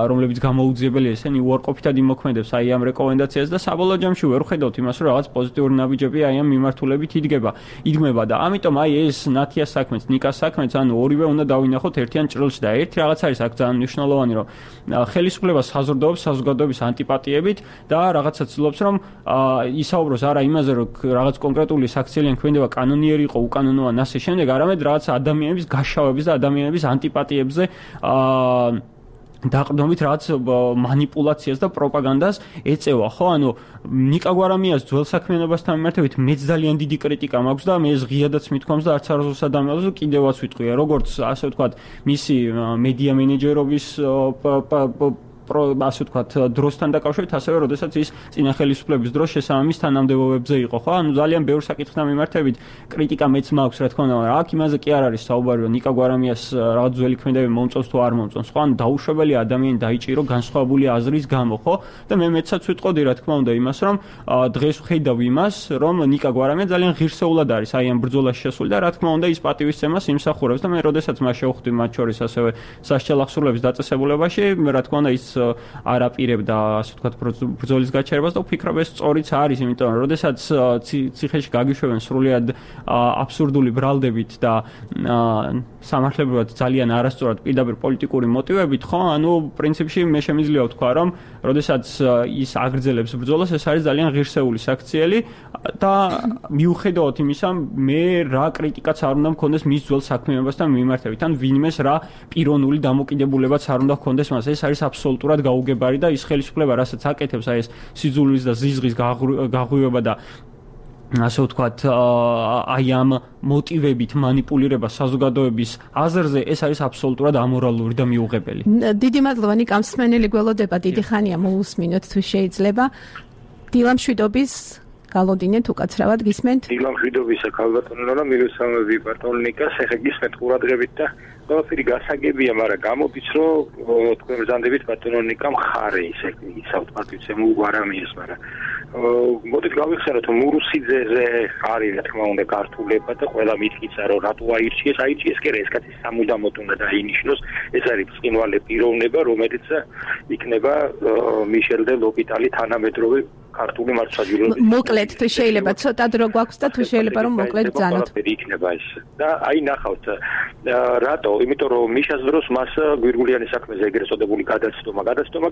რომლებიც გამოუძიებელია, ესენი უარყოფითად იმოქმედებს აი ამ რეკომენდაციას და საბოლოო ჯამში ვერ ხედავთ იმას, რომ რაღაც პოზიტიური ნაბიჯები აი ამ მიმართულებით იდგმება და ამიტომ აი ეს ნათიას საქმეც, ნიკას საქმეც, ანუ ორივე უნდა დავინახოთ ერთიან ჭრილში და ერთი რაღაც არის აქ ძალიან მნიშვნელოვანი, რომ ხელისუფლება საზრდოობს საზოგადოების ანტიპატიებით და რაღაცა ცდილობს, რომ ისაუბროს არა იმაზე, რომ რაღაც კონკრეტული საქციელი ქმედება კანონიერი იყო, უკანონოა, ასე შემდეგ, არამედ რაღაც ადამიანების გაშავების და ადამიანების ანტიპატიებზე დაყრდნობით რაღაც მანიპულაციას და პროპაგანდას ეწევა, ხო? ანუ ნიკა გვარამიას ძველ საქმიანობასთან მიმართებით მეც ძალიან დიდი კრიტიკა მაქვს და მე ღიადაც მithქვამს და არც არასდროს ადამიანს კიდევაც ვიტყვია, როგორც ასე ვთქვათ, მისი მედია მენეჯერობის ასე ვთქვათ, დროსთან დაკავშირებით, ასევე როდესაც ის წინა ხელისუფლების დროს შესაბამის თანამდებობებზე იყო, ხო? ანუ ძალიან ბევრ საკითხთან მიმართებით კრიტიკა მეც მაქვს, რა თქმა უნდა, მაგრამ აქ იმაზე კი არ არის საუბარი, რომ ნიკა გვარამიას რაღაც ძველი ქმედები მომწონს თუ არ მომწონს, ხო? ანუ დაუშვებელი ადამიანი დაიჭირო განსხვავებული აზრის გამო, ხო? და მე მეცაც ვიტყოდი, რა თქმა უნდა, იმას, რომ დღეს ვხედავ იმას, რომ ნიკა გვარამია ძალიან ღირსეულად არის აი ამ ბრძოლაში შესული და რა თქმა უნდა ის პატივისცემას იმსახურებს და მე როდესაც მას შევხვდი მათ შორის ასევე სასჯელ ახსრულების დაწესებულებაში, რა თქმა უნდა ის არ აპირებდა, ასე ვთქვათ, ბრძოლის გაჩერებას და ვფიქრობ ეს სწორიც არის, იმიტომ რომ როდესაც ციხეში გაგიშვებენ სრულიად აბსურდული ბრალდებით და სამართლებრივად ძალიან არასწორად პირდაპირ პოლიტიკური მოტივებით, ხო? ანუ პრინციპში მე შემიძლია ვთქვა, რომ როდესაც ის აგრძელებს ბრძოლას, ეს არის ძალიან ღირსეული საქციელი და მიუხედავად იმისა, მე რა კრიტიკაც არ უნდა მქონდეს მის ძველ საქმიანობასთან მიმართებით, ან ვინმეს რა პიროვნული დამოკიდებულებაც არ უნდა ჰქონდეს მას. ეს არის აბსოლუტურად გაუგებარი და ის ხელისუფლება, რასაც აკეთებს, აი ეს სიძულვის და ზიზღის გაღვივება და ასე ვთქვათ, აი ამ მოტივებით მანიპულირება საზოგადოების აზრზე, ეს არის აბსოლუტურად ამორალური და მიუღებელი. დიდი მადლობა, ნიკა, მსმენელი გველოდება, დიდი ხანია მოусმინოთ თუ შეიძლება. დილამშვიდობის გალოდინეთ უკაცრავად გისმენთ? დილამშვიდობისა ქალბატონო და მილოცავები ბატონ ნიკას, ეხა გისმენთ ყურადღებით და ყველაფერი გასაგებია, მაგრამ გამოდის, რომ თქვენ ბრძანდებით ბატონო ნიკა მხარე ისე იცავთ პატივცემულ გვარამიას, მაგრამ მოდით გავიხსენოთ, რომ მურუსიძეზე არის, რა თქმა უნდა, გართულება და ყველა მითქიცა, რომ რატო აირჩიეს კი რა, ეს კაცი სამუდამოდ უნდა დაინიშნოს, ეს არის ბრწყინვალე პიროვნება, რომელიც იქნება მიშელ დე ლოპიტალი თანამედროვე ქართული მართლმსაჯულების. მოკლედ თუ შეიძლება ცოტა დრო გვაქვს და თუ შეიძლება რომ მოკლედ ბრძანოთ. იქნება ეს. და აი ნახავთ, რატო? იმიტომ რომ მიშას დროს მას გვირგულიანის საქმეზე ეგრეთ წოდებული გადაცდომა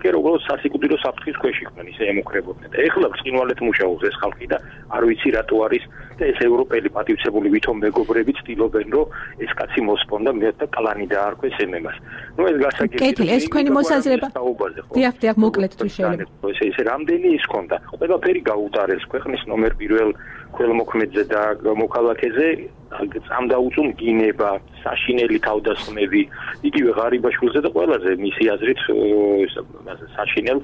კი არა, უბრალოდ სასიკვდილო საფრთხის ქვეშ იყვნენ, ისე ემუქრებოდნენ. და ეხლა ბრწყინვალედ მუშაობს ეს ხალხი და არ ვიცი რატო არის და ეს ევროპელი პატივცემული ვითომ მეგობრები ცდილობენ, რომ ეს კაცი მოსპონ და მეც და კლანი დაარქვეს ემემას. ნუ ეს გასაგებია. კეთილი, ეს თქვენი მოსაზრება. დიახ, მოკლედ თუ შეიძლება. ესე რამდენი ის ქონდა? ყველაფერი გაუტარეს ქვეყნის ნომერ 1 ქველმოქმედზე და მოქალაქეზე, წამდა უწუნ გინება, საშინელი თავდასხმები, იგივე ღარიბაშვილზე და ყველაზე მისი აზრით საშინელ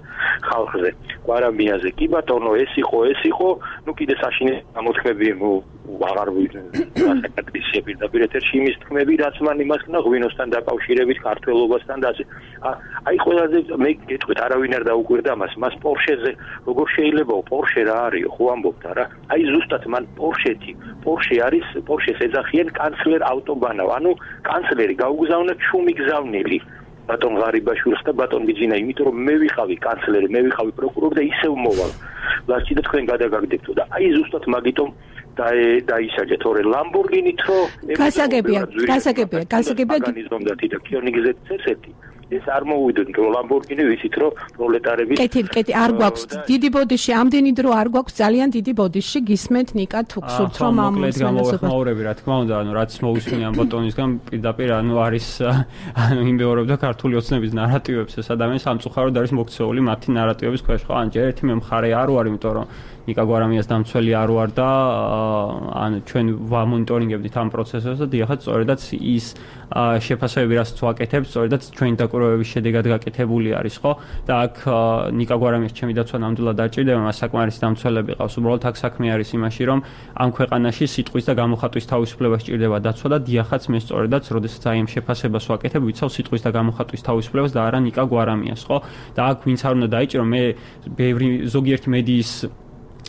ხალხზე. გვარამიაზე კი ბატონო, ეს იყო, ნუ კიდე საშინელი გამოთქმები აღარ ვისაკადრისია პირდაპირ ეთერში იმის თქმები, რაც მან იმას ქნა ღვინოსთან დაკავშირებით, ქართველობასთან და ასე. აი ყველაზე მე გეტყვით, არავინ არ დაუკვირდა მას პორშეზე, როგორ შეიძლება პორშე რა არის, ხო ამბობთ არა? აი ზუსტად მან პორშე არის, პორშეს ეძახიან კანცლერ ავტობანავ, ანუ კანცლერი გაუგზავნა ჩუმი გზავნილი. ბატონ ღარიბაშვილს და ბატონ ბიძინა, იმიტომ რომ მე ვიყავი კანცლერი, მე ვიყავი პროკურორი და ისევ მოვალ. ლაშჩი და თქვენ გადაგაგდებთ და აი ზუსტად მაგიტომ დაისაჯეთ, თორე ლამბორგინით რო გასაგებია და თიდა კიონიგზეთ წესეთი ეს არ მოვიდოდ რომ ლამბორგინი ვიცით რომ პროლეტარების კეთი არ გვაქვს დიდი ბოდიში, ამდენი დრო არ გვაქვს ძალიან დიდი ბოდიში, გისმენთ ნიკა თუ გსურთ რომ ამ მოსმენელობები, რა თქმა უნდა, ანუ რაც მოусმინე ამ ბატონისგან პირდაპირ ანუ არის იმეორებდა ქართული ოცნების ნარატივებს, ეს ადამიანი სამწუხაროდ არის მოქცეული მათი ნარატივების ქვეშ, ხო? ან ჯერ ერთი მე მხარე არ ვარ, იმიტომ რომ ნიკა გვარამიას დამცველი არ ვარ და ან ჩვენ ვამონიტორინგებდით ამ პროცესებს და დიახაც სწორედაც ის შეფასებები რასაც ვაკეთებთ, სწორედაც ჩვენი დაკვირვებების შედეგად გაკეთებული არის, ხო? და აქ ნიკა გვარამიას ჩემი დაცვა ნამდვილად დაჭირდება, მას საკმარისი დამცველები ყავს. უბრალოდ აქ საქმე არის იმაში, რომ ამ ქვეყანაში სიტყვის და გამოხატვის თავისუფლება სჭირდება დაცვა და დიახაც მე სწორედაც, როდესაც აი ამ შეფასებას ვაკეთებ, ვიცავ სიტყვის და გამოხატვის თავისუფლებას და არა ნიკა გვარამიას, ხო? და აქ ვინც არ უნდა დაიჭირო, მე ბევრი ზოგიერთი მედიის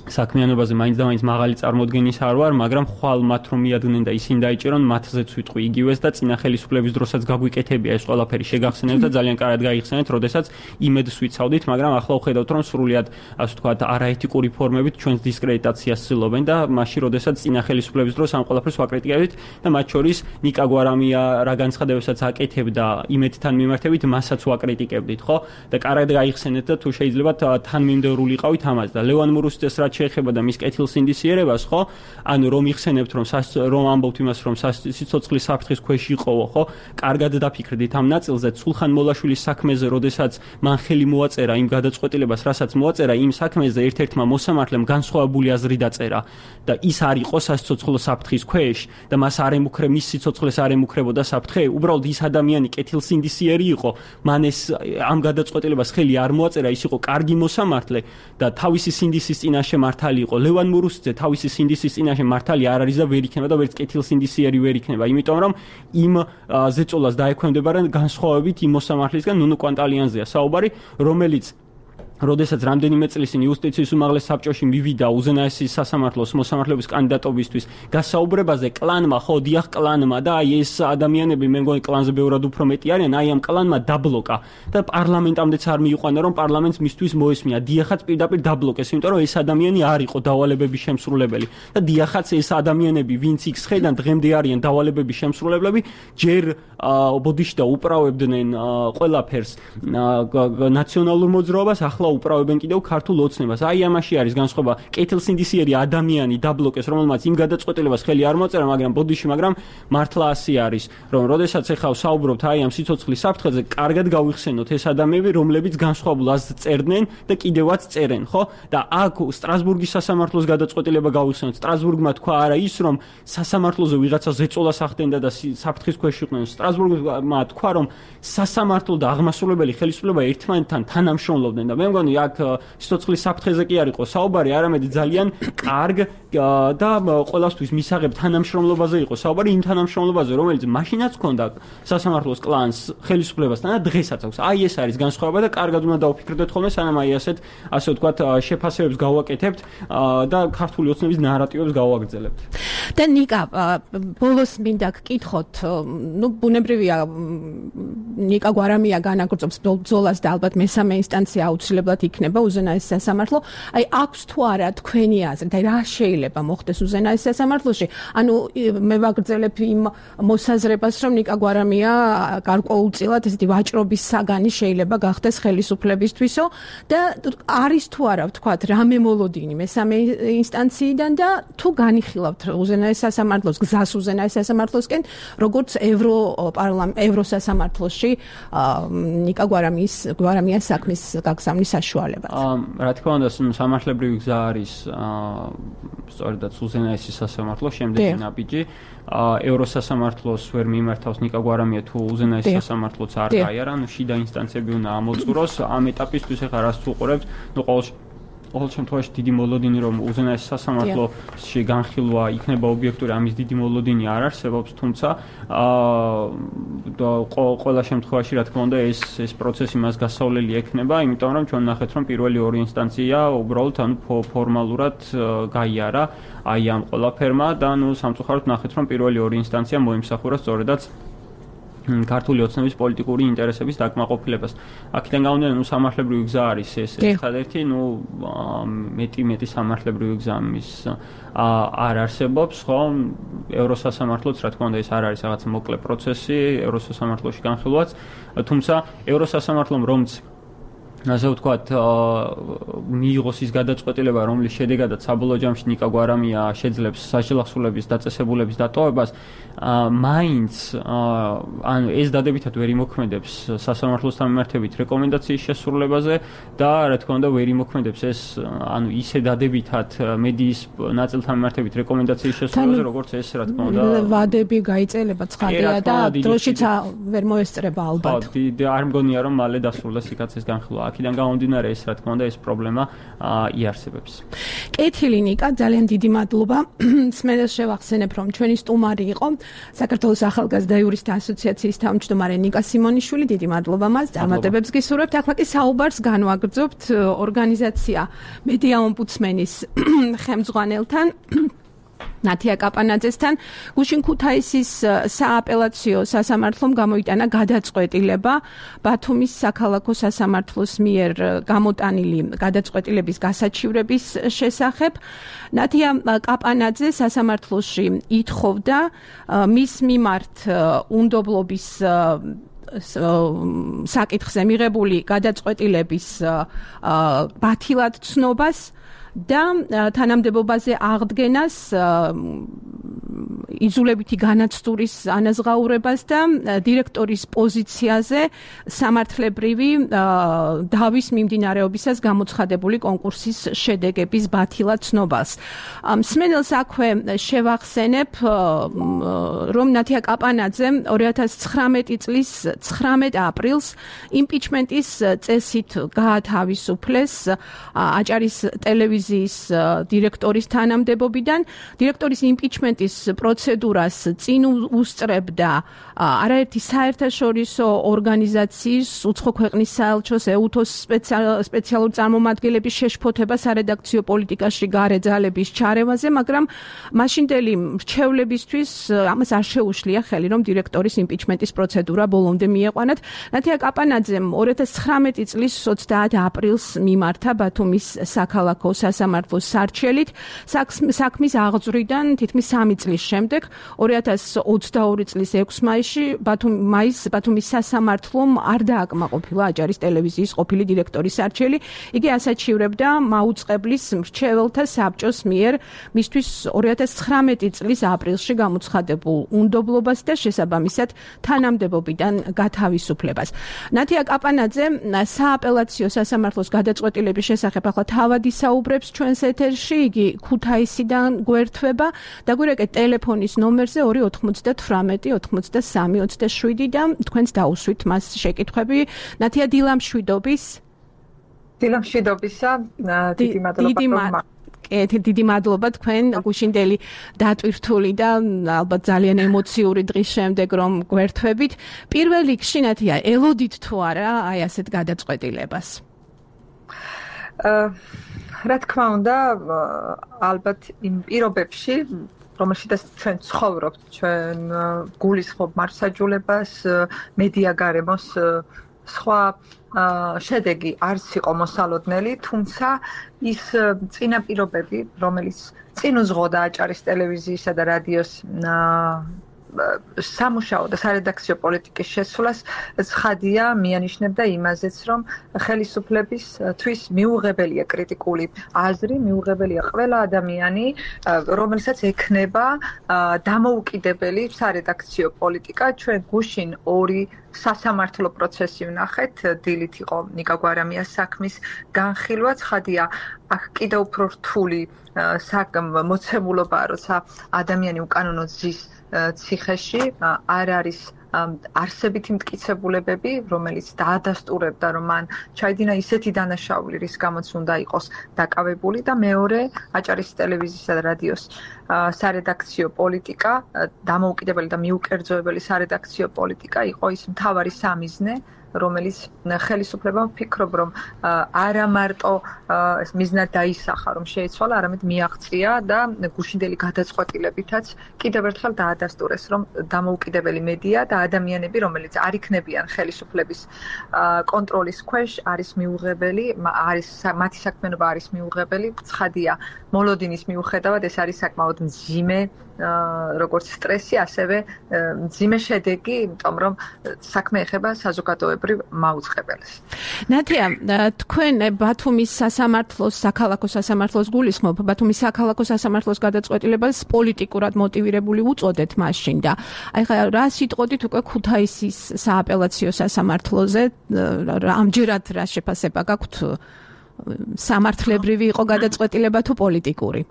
საქმიანობაზე მაინც და მაინც მაღალი წარმოდგენის არ ვარ, მაგრამ ხვალ მათ რომ მიადგნენ და ისინი დაიჭირონ, მათზეც ვიტყვი იგივეს და წინა ხელისუფლების დროსაც გაგვიკეთებია ეს ყველაფერი შეგახსენებთ და ძალიან კარგად გაიხსენეთ, როდესაც იმედს ვიცავდით, მაგრამ ახლა ვხედავთ, რომ სრულიად ასე ვთქვათ, არაეთიკური ფორმებით ჩვენს დისკრედიტაციას ცდილობენ და მაშინ, როდესაც წინა ხელისუფლების დროს ამ ყველაფერს ვაკრიტიკებდით და მათ შორის ნიკა გვარამია რა განცხადებებსაც აკეთებდა იმედთან მიმართებით, მასაც ვაკრიტიკებდით, ხო? და კარგად გაიხსენეთ და თუ შეიძლება თანმიმდევრული იყავით ამაზე და ლევან მურუსიძეს რაც შეეხება და მის კეთილსინდისიერებას, ხო? ანუ რომ იხსენებთ რომ ამბობთ იმას, რომ სიცოცხლის საფრთხის ქვეშ იყოო, ხო? კარგად დაფიქრდით ამ ნაწილზე, სულხან მოლაშვილის საქმეზე, როდესაც მან ხელი მოაწერა იმ გადაწყვეტილებას, რასაც მოაწერა იმ საქმეზე ერთ-ერთმა მოსამართლემ განსხვავებული აზრი დაწერა და ის არ იყო სასიცოცხლო საფრთხის ქვეშ და მას მის სიცოცხლეს არ ემუქრებოდა საფრთხე, უბრალოდ ის ადამიანი კეთილსინდისიერი იყო, მან ეს ამ გადაწყვეტილებას ხელი არ მოაწერა, ის იყო კარგი მოსამართლე და თავისი სინდისის წინაშე მართალი იყო. ლევან მურუსიძე თავისი სინდისის წინაშე მართალი არ არის და ვერ იქნება და ვერც კეთილსინდისიერი ვერ იქნება, იმიტომ რომ იმ ზეწოლას დაექვემდებარა განსხვავებით იმ მოსამართლისგან ნუნუ კვანტალიანზეა საუბარი, რომელიც როდესაც რამდენიმე წლის წინ იუსტიციის უმაღლეს საბჭოში მივიდა უზენაესი სასამართლოს მოსამართლეობის კანდიდატობისთვის გასაუბრებაზე კლანმა, ხო, დიახ კლანმა და აი ეს ადამიანები მე მგონი კლანზე ბევრად უფრო მეტი არიან, აი ამ კლანმა დაბლოკა და პარლამენტამდეც არ მიიყვანა, რომ პარლამენტს მისთვის მოესმია. დიახაც პირდაპირ დაბლოკეს, იმიტომ რომ ეს ადამიანი არ იყო დავალებების შემსრულებელი და დიახაც ეს ადამიანები, ვინც იქ ხედან დღემდე არიან დავალებების შემსრულებლები, ჯერ ბოდიში და უправებდნენ ყველაფერს ნაციონალურ მოძრაობას, ახლა უправებენ კიდევ ქართულ ოცნებას. აი ამაში არის განსხვავება. კეთილსინდისიერი ადამიანი დაბლოკეს, რომელმაც იმ გადაწყვეტილებას ხელი არ მოაწერა, მაგრამ ბოდიში, მაგრამ მართლა ასე არის, რომ როდესაც ახლა საუბრობთ აი ამ სიცოცხლის საფრთხეზე, კარგად გავიხსენოთ ეს ადამიანები, რომლებიც განსხვავებულ აზრს წერდნენ და კიდევაც წერენ, ხო? და აქ სტრასბურგის სასამართლოს გადაწყვეტილება გავიხსენოთ. სტრასბურგმა თქვა არა ის, რომ სასამართლოზე ვიღაცა ზეწოლას ახდენდა და საფრთხის ქვეშ იყვნენ. სტრასბურგმა თქვა, რომ სასამართლო და აღმასრულებელი ხელისუფლება ერთმანეთთან თანამშრომლობდნენ და მე მგონი აქ სიცოცხლის საფრთხეზე კი არ იყო საუბარი, არამედ ძალიან კარგ და ყველასთვის მისაღებ თანამშრომლობაზე იყო საუბარი, იმ თანამშრომლობაზე, რომელიც მაშინაც ჰქონდა სასამართლოს კლანს ხელისუფლებასთან და დღესაც აქვს. აი ეს არის განსხვავება და კარგად უნდა დავფიქრდეთ ხოლმე, სანამ აი ასე ვთქვათ, შეფასებებს გავაკეთებთ და ქართული ოცნების ნარატივებს გავაგრძელებთ. და ნიკა, ბოლოს მინდა გკითხოთ, ну, ბუნებრივია ნიკა გვარამია განაგრძობს ბრძოლას და ალბათ მესამე ინსტანცია აუცილებლად იქნება უზენაეს სასამართლო. აი აქვს თუ არა თქვენი აზრი და რა შეიძლება მოხდეს უზენაეს სასამართლოში? ანუ მე ვაგრძელებ იმ მოსაზრებას, რომ ნიკა გვარამია გარკვეულწილად ესეთი ვაჭრობის საგანი შეიძლება გახდეს ხელისუფლებისთვისო და არის თუ არა ვთქვათ რამე მოლოდინი მესამე ინსტანციიდან და თუ განიხილავთ უზენაეს სასამართლოს გზას უზენაეს სასამართლოსკენ, როგორც ევროსასამართლოში ნიკა გვარამიას საქმის გაგზავნის საშუალებად. რა თქმა უნდა, სამართლებრივი გზა არის სწორედაც უზენაესი სასამართლო, შემდეგი ნაბიჯი. ევროსასამართლოს ვერ მიმართავს ნიკა გვარამია თუ უზენაესი სასამართლოც არ გაიარა, ანუ შიდა ინსტანციები უნდა ამოწუროს. ამ ეტაპისთვის ახლა რას ვუყურებთ? ნუ ყოველ შემთხვევაში დიდი მოლოდინი რომ უზენაეს სასამართლოში განხილვა იქნება ობიექტური, ამის დიდი მოლოდინი არ არსებობს, თუმცა ყველა შემთხვევაში რა თქმა უნდა ეს პროცესი მას გასავლელი ექნება, იმიტომ რომ ჩვენ ნახეთ რომ პირველი ორი ინსტანცია უბრალოდ ანუ ფორმალურად გაიარა აი ამ ყველაფერმა და ნუ სამწუხაროდ ნახეთ რომ პირველი ორი ინსტანცია მოიმსახურა სწორედაც ქართული ოცნების პოლიტიკური ინტერესების დაკმაყოფილებას. აქედან გამომდინარე, ნუ სამართლებრივი გზა არის ეს ერთადერთი, ნუ მეტი სამართლებრივი გზა მის არ არსებობს, ხო? ევროსასამართლოც, რა თქმა უნდა, ეს არ არის რაღაც მოკლე პროცესი, ევროსასამართლოში განხილვაც, თუმცა ევროსასამართლომ რომც ასე ვთქვათ, მიიღოს ის გადაწყვეტილება, რომლის შედეგადაც საბოლოო ჯამში ნიკა გვარამია შეძლებს საშელახსულების დაწესებულების დატოვებას, მაინც ანუ ეს დადებითად ვერ იმოქმედებს სასამართლოსთან მიმართებით რეკომენდაციის შესრულებაზე და რა თქმა უნდა ვერ იმოქმედებს ეს ანუ ისე დადებითად მედიის ნაწილთან მიმართებით რეკომენდაციის შესრულებაზე, როგორც ეს რა თქმა უნდა ვადები გაიწელება ცხადია და დროშიც ვერ მოესწრება ალბათ. არ მგონია რომ მალე დასრულდეს იქაც ეს განხილვა. აქედან გამომდინარე ეს რა თქმა უნდა ეს პრობლემა იარსებებს. კეთილი ნიკა, ძალიან დიდი მადლობა. სმენელს შევახსენებ რომ ჩვენი სტუმარი იყო საქართველოს ახალგაზრდა იურისტთა ასოციაციის თავმჯდომარე ნიკა სიმონიშვილი, დიდი მადლობა მას, წარმატებებს გისურვებთ. ახლა კი საუბარს განვაგრძობთ ორგანიზაცია მედია ომბუდსმენის ხელმძღვანელთან ნათია კაპანაძესთან. გუშინ ქუთაისის სააპელაციო სასამართლომ გამოიტანა გადაწყვეტილება ბათუმის საქალაქო სასამართლოს მიერ გამოტანილი გადაწყვეტილების გასაჩივრების შესახებ. ნათია კაპანაძე სასამართლოში ითხოვდა მის მიმართ უნდობლობის საკითხზე მიღებული გადაწყვეტილების ბათილად ცნობას და თანამდებობაზე აღდგენას იზოლებითი განაცდურის ანაზღაურებას და დირექტორის პოზიციაზე სამართლებრივი დავის მიმდინარეობისას გამოცხადებული კონკურსის შედეგების ბათილად ცნობას. მსმენელს აქვე შევახსენებ, რომ ნათია კაპანაძე 2019 წლის 19 აპრილს იმპიჩმენტის წესით გაათავისუფლეს აჭარის ტელევიზიის დირექტორის თანამდებობიდან. დირექტორის იმპიჩმენტის პროცედურას წინ უსწრებდა არაერთი საერთაშორისო ორგანიზაციის, უცხო ქვეყნის საელჩოს, EUTOS სპეციალურ წარმომადგენლების შეშფოთება სარედაქციო პოლიტიკაში გარე ძალების ჩარევაზე, მაგრამ მაშინდელი მრჩევლებისთვის ამას არ შეუშლია ხელი, რომ დირექტორის იმპიჩმენტის პროცედურა ბოლომდე მიეყვანათ. ნათია კაპანაძემ 2019 წლის 20 აპრილს მიმართა ბათუმის საქალაქო სასამართლოს სარჩელით საქმის აღძვრიდან თითქმის 3 წლის შემდეგ 2022 წლის 6 მაისში ბათუმის სასამართლომ არ დააკმაყოფილა აჭარის ტელევიზიის ყოფილი დირექტორის სარჩელი. იგი ასაჩივრებდა მაუწყებლის მრჩეველთა საბჭოს მიერ მისთვის 2019 წლის აპრილში გამოცხადებულ უნდობლობას და შესაბამისად თანამდებობიდან გათავისუფლებას. ნათია კაპანაძე სააპელაციო სასამართლოს გადაწყვეტილების შესახებ ახლა თავად ისაუბრებს ჩვენს ეთერში. იგი ქუთაისიდან გვერდება და გვირეკეთ ტელეფონის ნომერზე 298 83 27 და თქვენს დაუსვით მას შეკითხვები. ნათია, დილამშვიდობისა. დიდი მადლობა თქვენ გუშინდელი დატვირთული და ალბათ ძალიან ემოციური დღის შემდეგ რომ გვერთვებით. პირველ რიგში ნათია, ელოდით თუ არა აი ასეთ გადაწყვეტილებას? რა თქმა უნდა, ალბათ იმ პირობებში, რომელშიც ჩვენ ცხოვრობთ, ჩვენ გულისხმობ მართლმსაჯულებას, მედია გარემოს სხვა შედეგი არც იყო მოსალოდნელი, თუმცა ის წინაპირობები, რომელიც წინ უძღოდა აჭარის ტელევიზიისა და რადიოს სამუშაო და სარედაქციო პოლიტიკის შესვლას, ცხადია მიანიშნებდა იმაზეც, რომ ხელისუფლებისთვის მიუღებელია კრიტიკული აზრი, მიუღებელია ყველა ადამიანი, რომელსაც ექნება დამოუკიდებელი სარედაქციო პოლიტიკა. ჩვენ გუშინ 2 სასამართლო პროცესი ვნახეთ, დილით იყო ნიკა გვარამიას საქმის განხილვა, ცხადია აქ კიდევ უფრო რთული მოცემულობაა, როცა ადამიანი უკანონო ზის ციხეში არ არის არსებითი მტკიცებულებები, რომელიც დაადასტურებდა, რომ მან ჩაიდინა ისეთი დანაშაული, რის გამოც უნდა იყოს დაკავებული და მეორე აჭარის ტელევიზიისა და რადიოს სარედაქციო პოლიტიკა, დამოუკიდებელი და მიუკერძოებელი სარედაქციო პოლიტიკა იყო ის მთავარი სამიზნე, რომელიც ხელისუფლებამ ვფიქრობ, რომ არა მარტო ეს მიზნად დაისახა, რომ შეიცვალა, არამედ მიაღწია და გუშინდელი გადაწყვეტილებითაც კიდევ ერთხელ დაადასტურეს, რომ დამოუკიდებელი მედია და ადამიანები, რომელიც არ იქნებიან ხელისუფლების კონტროლის ქვეშ, არის მიუღებელი, მათი საქმიანობა არის მიუღებელი, ცხადია მოლოდინის მიუხედავად ეს არის საკმაოდ მძიმე როგორც სტრესი, ასევე მძიმე შედეგი, იმიტომ რომ საქმე ეხება საზოგადოებრივ მაუწყებელს. ნათია, თქვენ ბათუმის სასამართლოს, საქალაქო სასამართლოს გულისხმობ, ბათუმის საქალაქო სასამართლოს გადაწყვეტილებას პოლიტიკურად მოტივირებული უწოდეთ მაშინ და აი ხა რა სიტყოდით უკვე ქუთაისის სააპელაციო სასამართლოზე, ამჯერად რა შეფასება გაქვთ? სამართლებრივი იყო გადაწყვეტილება თუ პოლიტიკური?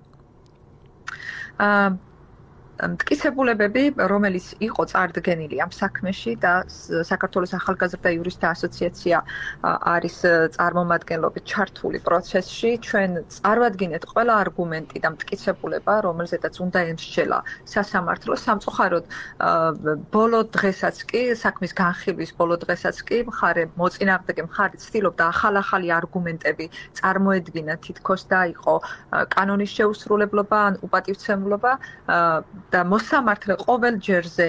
მტკიცებულებები, რომელიც იყო წარდგენილი ამ საქმეში და საქართველოს ახალგაზრდა იურისტთა ასოციაცია არის წარმომადგენლობით ჩართული პროცესში, ჩვენ წარვადგინეთ ყველა არგუმენტი და მტკიცებულება, რომელზედაც უნდა ემსჯელა სასამართლო. სამწუხაროდ, ბოლო დღესაც კი, საქმის განხილვის ბოლო დღესაც კი, მოწინააღმდეგე მხარე ცდილობდა ახალ-ახალი არგუმენტები წარმოედგინა, თითქოს და იყო კანონის შეუსრულებლობა ან უპატივცემულობა. და მოსამართლე ყოველ ჯერზე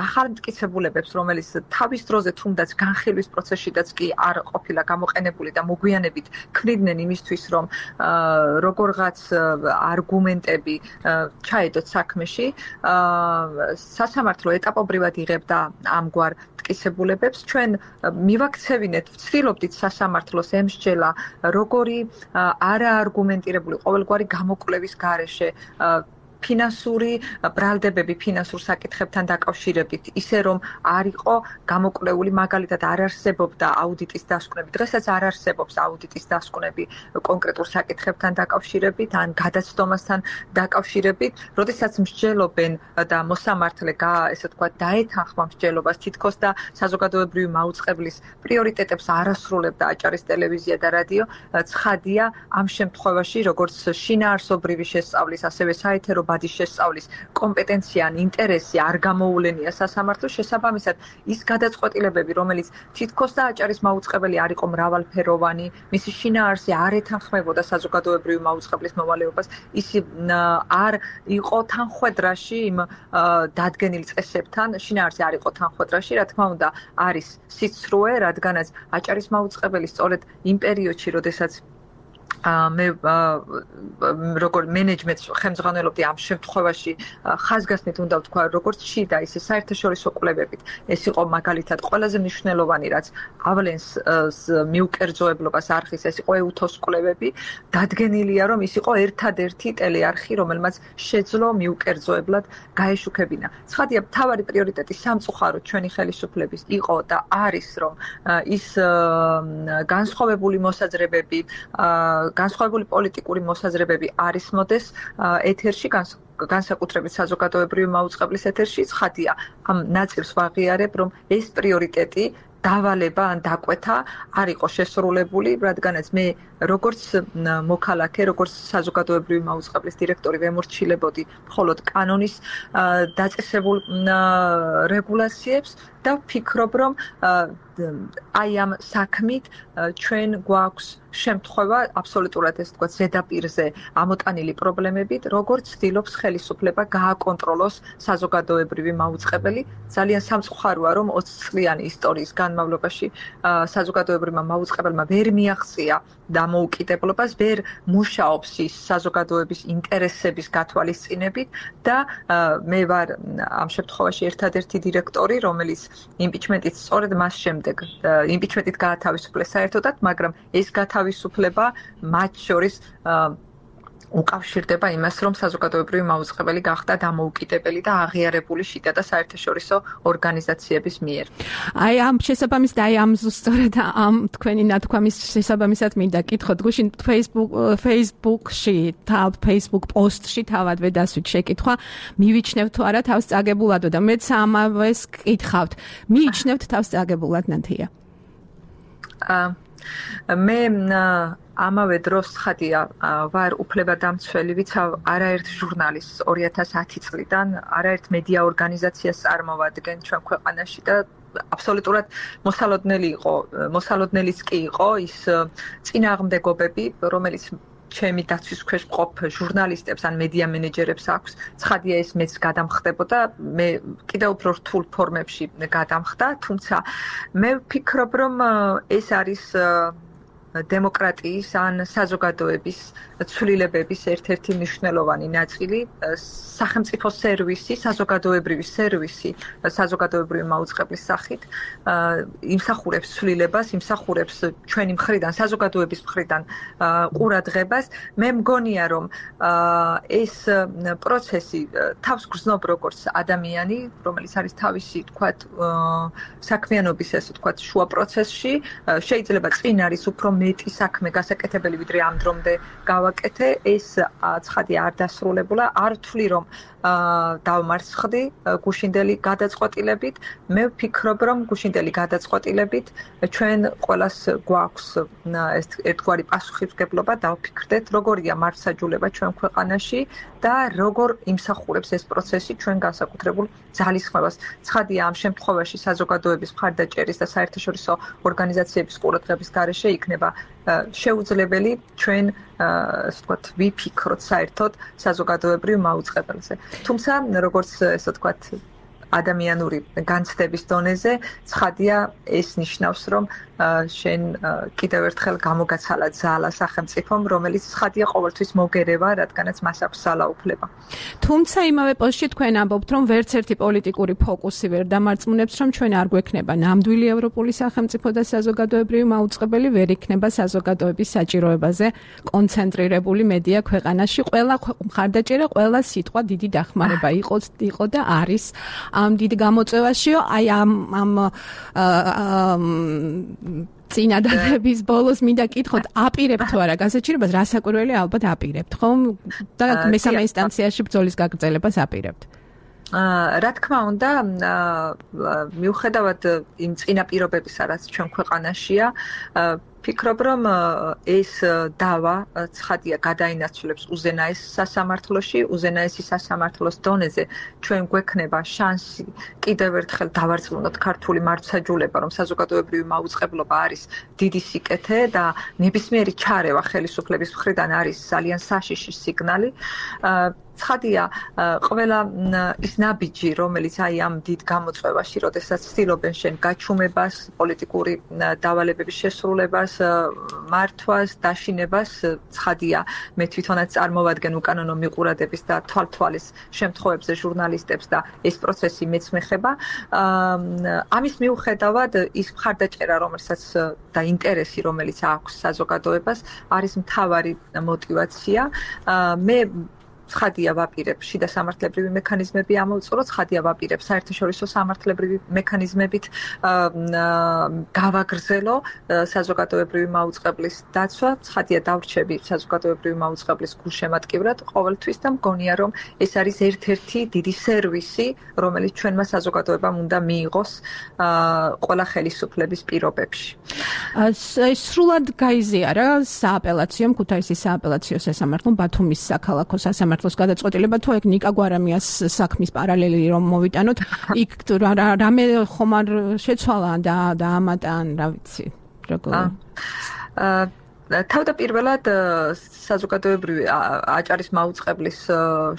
ახალ მტკიცებულებებს, რომელიც თავის დროზე თუნდაც განხილვის პროცესშიდაც კი არ ყოფილა გამოყენებული და მოგვიანებით ქმნიდნენ იმისთვის, რომ როგორღაც არგუმენტები ჩაედოთ საქმეში, სასამართლო ეტაპობრივად იღებდა ამგვარ მტკიცებულებებს. ჩვენ მივაქცევინეთ, ვცდილობდით სასამართლოს ემსჯელა როგორი არაარგუმენტირებული ყოველგვარი გამოკვლევის გარეშე ფინანსური ბრალდებები ფინანსურ საკითხებთან დაკავშირებით, ისე რომ არ იყო გამოკვლეული, მაგალითად არ არსებობდა აუდიტის დასკვნები. დღესაც არ არსებობს აუდიტის დასკვნები კონკრეტულ საკითხებთან დაკავშირებით ან გადაცდომასთან დაკავშირებით. როდესაც მსჯელობენ და მოსამართლე ესე ვთქვათ დაეთანხმა მსჯელობას თითქოს და საზოგადოებრივი მაუწყებლის პრიორიტეტებს არ ასრულებდა აჭარის ტელევიზია და რადიო, ცხადია ამ შემთხვევაში, როგორც შინაარსობრივი შესწავლის, ასევე საეთერო ბადის შესწავლის კომპეტენცია ან ინტერესი არ გამოულენია სასამართლოს, შესაბამისად ის გადაწყვეტილებები, რომელიც თითქოს და აჭარის მაუწყებელი არ იყო მრავალფეროვანი, მისი შინაარსი არ ეთანხმებოდა საზოგადოებრივი მაუწყებლის მოვალეობას, ის არ იყო თანხვედრაში იმ დადგენილ წესებთან, შინაარსი არ იყო თანხვედრაში, რა თქმა უნდა, არის სიცრუე, რადგანაც აჭარის მაუწყებელი სწორედ იმ პერიოდში, როდესაც მე როგორ მენეჯმენტს ხელმძღვანელობდი ამ შემთხვევაში ხაზგასმით უნდა ვთქვა, როგორც შიდა, ისე საერთაშორისო კვლევებით. ეს იყო მაგალითად ყველაზე მნიშვნელოვანი, რაც ავლენს მიუკერძოებლობას არხის, ეს იყო EUTHOS კვლევები. დადგენილია, რომ ის იყო ერთადერთი ტელეარხი, რომელმაც შეძლო მიუკერძოებლად გაეშუქებინა. ცხადია, მთავარი პრიორიტეტი სამწუხაროდ ჩვენი ხელისუფლების იყო და არის, რომ ის განსხვავებული მოსაზრებები განსხვავებული პოლიტიკური მოსაზრებები არ ისმოდეს ეთერში, განსაკუთრებით საზოგადოებრივი მაუწყებლის ეთერში. ცხადია, ამ ნაწილს ვაღიარებ, რომ ეს პრიორიტეტი დავალება ან დაკვეთა არ იყო შესრულებული, რადგანაც მე როგორც მოქალაქე, როგორც საზოგადოებრივი მაუწყებლის დირექტორი ვემორჩილებოდი მხოლოდ კანონის დაწესებულ რეგულაციებს და ვფიქრობ, რომ აი ამ საქმით ჩვენ გვაქვს შემთხვევა აბსოლუტურად ეს თქვა ზედაპირზე ამოტანილი პრობლემებით, როგორც ცდილობს ხელისუფლება გააკონტროლოს საზოგადოებრივი მაუწყებელი. ძალიან სამწუხაროა, რომ 20 წლიანი ისტორიის განმავლობაში საზოგადოებრივმა მაუწყებელმა ვერ მიაღწია დამოუკიდებლობას, ვერ მუშაობს ის საზოგადოების ინტერესების გათვალისწინებით და მე ვარ ამ შემთხვევაში ერთადერთი დირექტორი, რომელიც იმპიჩმენტით სწორედ მას შემდეგ იმპიჩმენტით გაათავისუფლეს საერთოდად, მაგრამ ეს გათავისუფლება მათ შორის უკავშირდება იმას, რომ საზოგადოებრივი მაუწყებელი გახდა დამოუკიდებელი და აღიარებული შიდა და საერთაშორისო ორგანიზაციების მიერ. აი ამ შესაბამისად, აი ამ ზუსტად ამ თქვენი ნათქვამის შესაბამისად მინდა კითხოთ, გუშინ Facebook-ში, Facebook post-ში თავადვე დასვით შეკითხვა, მივიჩნევთ თუ არა თავს წაგებულადო და მეც ამავეს კითხავთ. მიიჩნევთ თავს წაგებულად, ნათია? მე ამავე დროს ცხადია ვარ უფლებადამცველი, ვიცავ არაერთ ჟურნალის 2010 წლიდან, არაერთ მედია ორგანიზაციას წარმოვადგენ ჩვენ ქვეყანაში და აბსოლუტურად მოსალოდნელიც კი იყო ის წინააღმდეგობები, რომელიც ჩემი დაცვის ქვეშ მყოფ ჟურნალისტებს ან მედია მენეჯერებს აქვს. ცხადია ეს მეც გადამხდებოდა, მე კიდევ უფრო რთულ ფორმებში გადამხდა, თუმცა მე ვფიქრობ, რომ ეს არის დემოკრატიის ან საზოგადოების ცვლილებების ერთ-ერთი მნიშვნელოვანი ნაწილი, სახელმწიფო სერვისი, საზოგადოებრივი სერვისი, საზოგადოებრივი მაუწყებლის სახით იმსახურებს ცვლილებას, იმსახურებს ჩვენი მხრიდან, საზოგადოების მხრიდან ყურადღებას. მე მგონია, რომ ეს პროცესი თავს გრძნობ როგორც ადამიანი, რომელიც არის თავისი, თქვათ, საქმიანობის, ესე ვთქვათ, შუა პროცესში, შეიძლება წინ არის უფრო მეტი საქმე გასაკეთებელი, ვიდრე ამ დრომდე გავაკეთე, ეს ცხადია არ დასრულებულა, არ ვთვლი, რომ დავმარცხდი გუშინდელი გადაწყვეტილებით. მე ვფიქრობ, რომ გუშინდელი გადაწყვეტილებით ჩვენ ყველას გვაქვს ეს ერთგვარი პასუხისმგებლობა, დავფიქრდეთ, როგორია მართლმსაჯულება ჩვენ ქვეყანაში და როგორ იმსახურებს ეს პროცესი ჩვენ განსაკუთრებულ ძალისხმევას. ცხადია, ამ შემთხვევაში საზოგადოების მხარდაჭერის და საერთაშორისო ორგანიზაციების ყურადღების გარეშე იქნება იქნება შეუძლებელი ჩვენ ასე ვთქვათ ვიფიქროთ საერთოდ საზოგადოებრივ მაუწყებელზე. თუმცა როგორც ასე ვთქვათ ადამიანური განცდების დონეზე ცხადია ეს ნიშნავს რომ შენ კიდევ ერთხელ გამოგაცალა ძალა სახელმწიფომ რომელიც ცხადია ყოველთვის მოგერევა რადგანაც მას აქვს ძალაუფლება. თუმცა იმავე პოსტში თქვენ ამბობთ რომ ვერც ერთი პოლიტიკური ფოკუსი ვერ დამარწმუნებს რომ ჩვენ არ გვექნება ნამდვილი ევროპული სახელმწიფო და საზოგადოებრივი მაუწყებელი ვერ იქნება საზოგადოების საჭიროებაზე კონცენტრირებული მედია ქვეყანაში. ყველა მხარდაჭერა, ყველა სიტყვა დიდი დახმარება იყო და არის ამ დიდ გამოწვევაშიო აი ამ წინადადების ბოლოს მინდა კითხოთ აპირებთ თუ არა გასაჩივრებას რასაკვირველი ალბათ აპირებთ ხომ და მესამე ინსტანციაში ბრძოლის გაგრძელებას აპირებთ რა თქმა უნდა მიუხედავად იმ წინაპირობებისა რაც ჩვენ ქვეყანაშია ფიქრობ რომ ეს დავა ცხადია გადაინაცვლებს უზენაეს სასამართლოში უზენაესი სასამართლოს დონეზე ჩვენ გვექნება შანსი კიდევ ერთხელ დავარწმუნოთ ქართული მართლმსაჯულება რომ საზოგადოებრივი მაუწყებლობა არის დიდი სიკეთე და ნებისმიერი ჩარევა ხელისუფლების მხრიდან არის ძალიან საშიში სიგნალი ცხადია ყველა ის ნაბიჯი რომელიც აი ამ დიდ გამოწვევაში როდესაც ცდილობენ შენ გაჩუმებას პოლიტიკური დავალებების შესრულებას მართვას დაშინებას ცხადია მე თვითონაც წარმოვადგენ უკანონო მიყურადების და თვალთვალის შემთხვევებზე ჟურნალისტებს და ეს პროცესი მეც მეხება ამის მიუხედავად ის მხარდაჭერა რომელსაც და ინტერესი რომელიც აქვს საზოგადოებას არის მთავარი мотиваცია მე ცხადია ვაპირებ შიდა სამართლებრივი მექანიზმები ამოვწურო ცხადია ვაპირებ საერთაშორისო სამართლებრივი მექანიზმებით გავაგრძელო საზოგადოებრივი მაუწყებლის დაცვა ცხადია დავრჩები საზოგადოებრივი მაუწყებლის გულშემატკივრად ყოველთვის და მგონია რომ ეს არის ერთ-ერთი დიდი სერვისი რომელიც ჩვენმა საზოგადოებამ უნდა მიიღოს ყველა ხელისუფლების პირობებში სრულად გაიზიარა სააპელაციო ქუთაისის სააპელაციო სასამართლომ ბათუმის საქალაქო სასამართლოს გადაწყვეტილება თუ ეგ ნიკა გვარამიას საქმის პარალელი რომ მოვიტანოთ იქ რამე ხომ არ შეცვალა და ამატან რა ვიცი როგორ თავდაპირველად საზოგადოებრივი აჭარის მაუწყებლის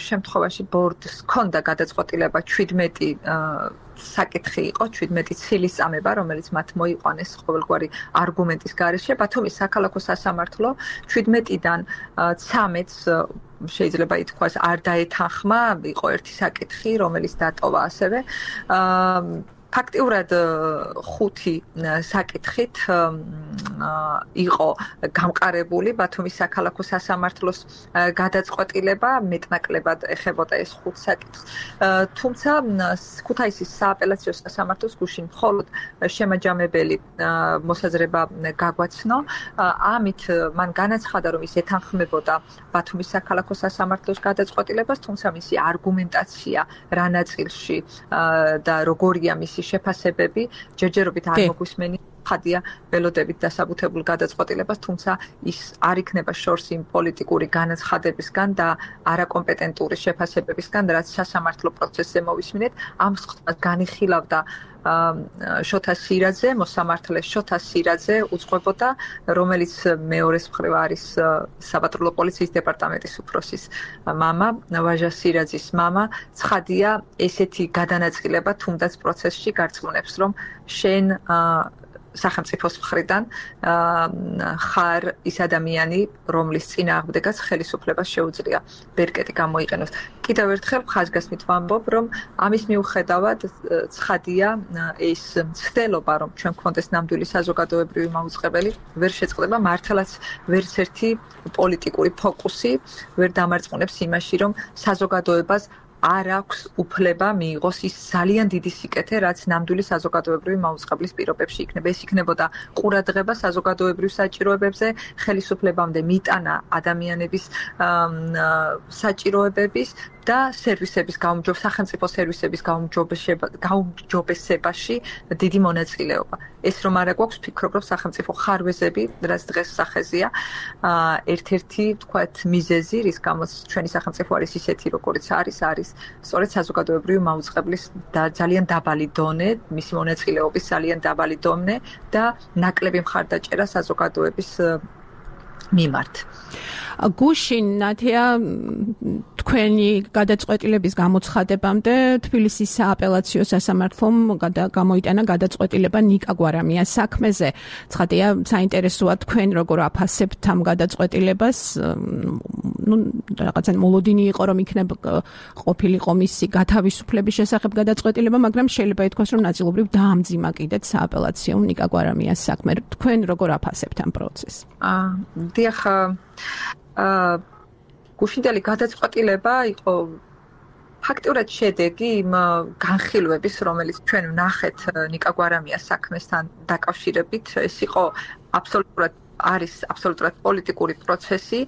შემთხვევაში ბორდს ჰქონდა გადაწყვეტილება 17 საკითხი იყო 17 ცილის წამება რომელიც მათ მოიყვანეს ყოველგვარი არგუმენტის გარეშე ბათუმის საქალაქო სასამართლო 17-დან 13-ს შეიძლება ითქვას არ დაეთანხმა იყო ერთი საკითხი რომელიც დატოვა ასევე ფაქტიურად 5 საკითხით იყო გამყარებული ბათუმის საქალაქო სასამართლოს გადაწყვეტილება მეტნაკლებად ეხებოდა ეს 5 საკითხს თუმცა ქუთაისის სააპელაციო სასამართლოს გუშინ მხოლოდ შემაჯამებელი მოსაზრება გაგვაცნო ამით მან განაცხადა რომ ის ეთანხმებოდა ბათუმის საქალაქო სასამართლოს გადაწყვეტილებას თუმცა მისი არგუმენტაცია რა ნაწილში და როგორია მისი შეფასებები ჯერჯერობით არ მოგვისმენი ხადია ველოდებით დასაბუთებულ გადაწყვეტილებას თუმცა ის არ იქნება შორს იმ პოლიტიკური განაცხადებისგან და არაკომპეტენტური შეფასებებისგან რაც სასამართლო პროცესზე მოვისმინეთ ამ სხდომას განიხილავდა შოთა სირაძე მოსამართლე შოთა სირაძე უძღვებოდა რომელიც მეორეს მხრივ არის საპატრულო პოლიციის დეპარტამენტის უფროსის მამა ვაჟა სირაძის მამა ცხადია ესეთი გადანაწილება თუნდაც პროცესში გარწმუნებს რომ შენ სახელმწიფოს მხრიდან ხარ ის ადამიანი რომლის წინააღმდეგაც ხელისუფლებას შეუძლია ბერკეტი გამოიყენოს კიდევ ერთხელ ხაზგასმით ვამბობ რომ ამის მიუხედავად ცხადია ეს მცდელობა რომ ჩვენ გვქონდეს ნამდვილი საზოგადოებრივი მაუწყებელი ვერ შეწყდება მართლაც ვერც ერთი პოლიტიკური ფოკუსი ვერ დამარწმუნებს იმაში რომ საზოგადოებას არ აქვს უფლება მიიღოს ის ძალიან დიდი სიკეთე, რაც ნამდვილი საზოგადოებრივი მაუწყებლის პირობებში იქნება. ეს იქნებოდა ყურადღება საზოგადოებრივ საჭიროებებზე, ხელისუფლებამდე მიტანა ადამიანების საჭიროებების და სერვისების სახელმწიფო სერვისების გაუმჯობესებაში დიდი მონაწილეობა. ეს რომ არა გვაქვს, ფიქრობ, რომ სახელმწიფო ხარვეზები, რაც დღეს სახეზეა, ერთ-ერთი, თქვათ, მიზეზი, რის გამოც ჩვენი სახელმწიფო არის ისეთი, როგორიც არის სწორედ საზოგადოებრივი მაუწყებლის და ძალიან დაბალი დონე, მისი მონაწილეობის ძალიან დაბალი დონე და ნაკლები მხარდაჭერა საზოგადოების მიმართ. გუშინ ნათია თქვენი გადაწყვეტილების გამოცხადებამდე თბილისის სააპელაციო სასამართლომ გამოიტანა გადაწყვეტილება ნიკა გვარამიას საქმეზე. ცხადია, საინტერესოა თქვენ როგორ აფასებთ ამ გადაწყვეტილებას. რაღაცა მოლოდინი იყო, რომ იქნება ყოფილიყო მისი გათავისუფლების შესახებ გადაწყვეტილება, მაგრამ შეიძლება ითქვას, რომ ნაწილობრივ დაამძიმა კიდეც სააპელაციომ ნიკა გვარამიას საქმე. თქვენ როგორ აფასებთ ამ პროცესს? დიახ, გუშინდელი გადაწყვეტილება იყო ფაქტურად შედეგი იმ განხილვების, რომელიც ჩვენ ვნახეთ ნიკა გვარამიას საქმესთან დაკავშირებით. ეს იყო აბსოლუტურად პოლიტიკური პროცესი,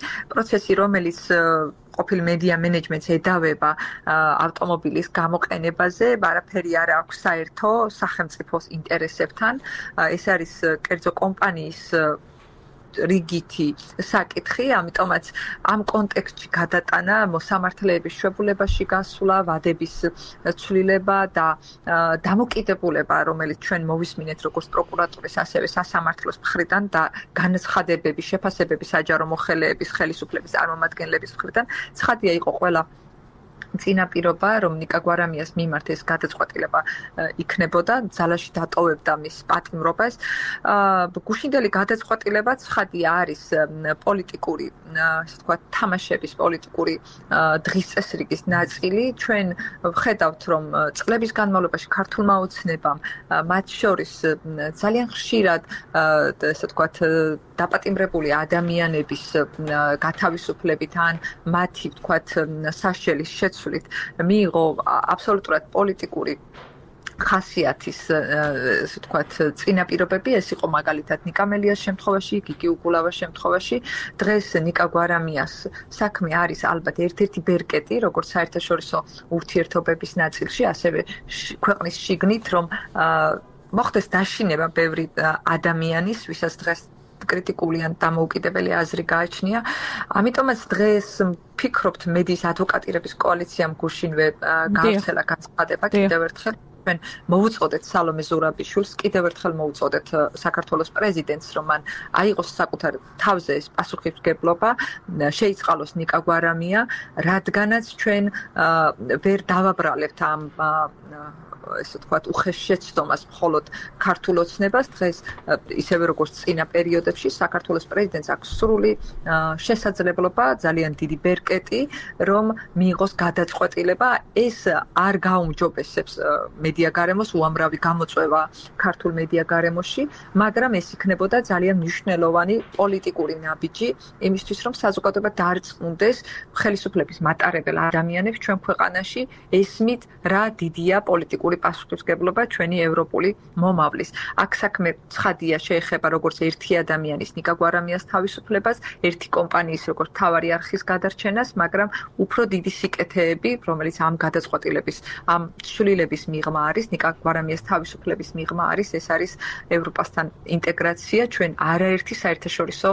რომელიც ყოფილ მედია მენეჯმენტს ედავება ავტომობილის გამოყენებაზე, არაფერი არ აქვს საერთო სახელმწიფოს ინტერესებთან. ეს არის კერძო კომპანიის რიგითი საკითხი, ამიტომაც ამ კონტექსტში გადატანა მოსამართლეების შვებულებაში გასვლა, ვადების ცვლილება და დამოკიდებულება, რომელიც ჩვენ მოვისმინეთ როგორც პროკურატურის, ასევე სასამართლოს მხრიდან და განცხადებების, შეფასებების საჯარო მოხელეების, ხელისუფლების წარმომადგენლების მხრიდან, ცხადია იყო ყველა წინაპირობა, რომ ნიკა გვარამიას მიმართ ეს გადაწყვეტილება იქნებოდა, ძალაში დატოვებდა მის პატიმრობას. გუშინდელი გადაწყვეტილება ცხადია არის პოლიტიკური, ასე ვთქვათ, თამაშების პოლიტიკური დღის წესრიგის ნაწილი. ჩვენ ვხედავთ, რომ წლების განმავლობაში ქართულმა ოცნებამ, მათ შორის ძალიან ხშირად, ასე ვთქვათ, დაპატიმრებული ადამიანების გათავისუფლებით ან მათი, ვთქვათ, საშელის შეცვლით მიიღო აბსოლუტურად პოლიტიკური ხასიათის, ასე ვთქვათ, წინაპირობები. ეს იყო მაგალითად ნიკა მელიას შემთხვევაში, გიგი უგულავას შემთხვევაში. დღეს ნიკა გვარამიას საქმე არის ალბათ ერთ-ერთი ბერკეტი, როგორც საერთაშორისო ურთიერთობების ნაწილში, ასევე ქვეყნის შიგნით, რომ მოხდეს დაშინება ბევრი ადამიანის, ვისაც დღეს კრიტიკული ან დამოუკიდებელი აზრი გააჩნია. ამიტომაც დღეს ფიქრობთ, მედიის ადვოკატირების კოალიციამ გუშინვე გაავრცელა განცხადება კიდევ ერთხელ. ჩვენ მოვუწოდეთ სალომე ზურაბიშვილს, კიდევ ერთხელ მოვუწოდეთ საქართველოს პრეზიდენტს, რომ მან აიღოს საკუთარ თავზე ეს პასუხისმგებლობა, შეიწყალოს ნიკა გვარამია, რადგანაც ჩვენ ვერ დავაბრალებთ ამ ესე ვთქვათ, უხეშ შეცდომას მხოლოდ ქართულ ოცნებას. დღეს ისევე როგორც წინა პერიოდებში საქართველოს პრეზიდენტს აქვს სრული შესაძლებლობა, ძალიან დიდი ბერკეტი, რომ მიიღოს გადაწყვეტილება. ეს არ გაუმჯობესებს მედია გარემოს, უამრავი გამოწვევა ქართულ მედია გარემოში, მაგრამ ეს იქნებოდა ძალიან მნიშვნელოვანი პოლიტიკური ნაბიჯი იმისთვის, რომ საზოგადოება დაარწმუნდეს ხელისუფლების მატარებელ ადამიანებს ჩვენ ქვეყანაში, ესმით რა დიდია პოლიტიკური პასუხისმგებლობა ჩვენი ევროპული მომავლის. აქ საქმე ცხადია შეეხება როგორც ერთი ადამიანის, ნიკა გვარამიას თავისუფლებას, ერთი კომპანიის როგორც მთავარი არხის გადარჩენას, მაგრამ უფრო დიდი სიკეთეები, რომელიც ამ გადაწყვეტილების, ამ ცვლილების მიღმა არის, ნიკა გვარამიას თავისუფლების მიღმა არის, ეს არის ევროპასთან ინტეგრაცია. ჩვენ არაერთი საერთაშორისო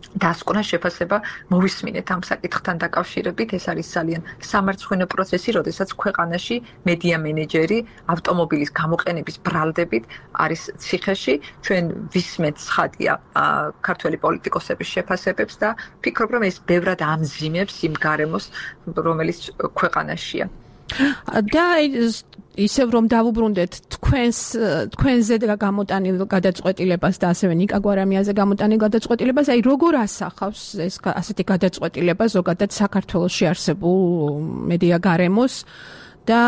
დასკვნა შეფასება მოვისმინეთ ამ საკითხთან დაკავშირებით. ეს არის ძალიან სამარცხვინო პროცესი, როდესაც ქვეყანაში მედია მენეჯერი ავტომობილის გამოყენების ბრალდებით არის ციხეში. ჩვენ ვისმენთ ცხადია ქართველი პოლიტიკოსების შეფასებებს და ფიქრობ, რომ ეს ბევრად ამძიმებს იმ გარემოს, რომელიც ქვეყანაშია. და ისევ რომ დავუბრუნდეთ თქვენზე გამოტანილ გადაწყვეტილებას და ასევე ნიკა გვარამიაზე გამოტანილ გადაწყვეტილებას, აი როგორ ასახავს ეს ასეთი გადაწყვეტილება ზოგადად საქართველოში არსებულ მედია გარემოს და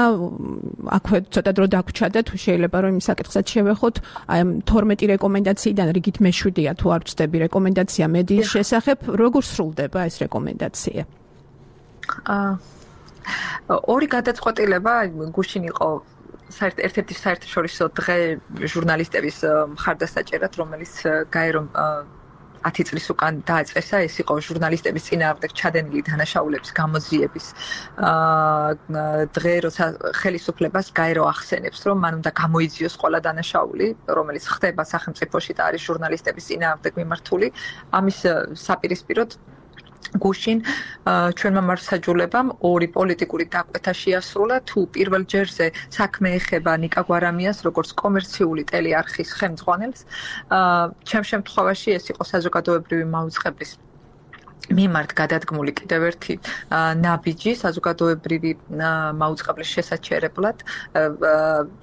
აქვე ცოტა დრო დაგვრჩა და თუ შეიძლება რომ იმ საკითხსაც შევეხოთ, აი 12 რეკომენდაციიდან რიგით მე-7-ია თუ არ ვწდები რეკომენდაცია მედიის შესახებ, როგორ სრულდება ეს რეკომენდაცია? ორი გადაწყვეტილება გუშინ იყო ერთ-ერთი საერთაშორისო დღე ჟურნალისტების მხარდასაჭერად, რომელიც გაერო 10 წლის უკან დაეწესა, ეს იყო ჟურნალისტების წინააღმდეგ ჩადენილი დანაშაულების გამოძიების დღე, როცა ხელისუფლებას გაერო ახსენებს, რომ მან უნდა გამოიძიოს ყველა დანაშაული, რომელიც ხდება სახელმწიფოში და არის ჟურნალისტების წინააღმდეგ მიმართული. ამის საპირისპიროდ გუშინ ჩვენმა მარცხაჯულებამ ორი პოლიტიკური დაკვეთა შეასრულა, თუ პირველ ჯერზე საქმე ეხება ნიკა გვარამიას როგორც კომერციული ტელეარხის ხელმძღვანელს. ჩემ შემთხვევაში ეს იყო საზოგადოებრივი მაუწყებლის მიმართ გადადგმული კიდევ ერთი ნაბიჯი საზოგადოებრივი მაუწყებლის შესაჩერებლად.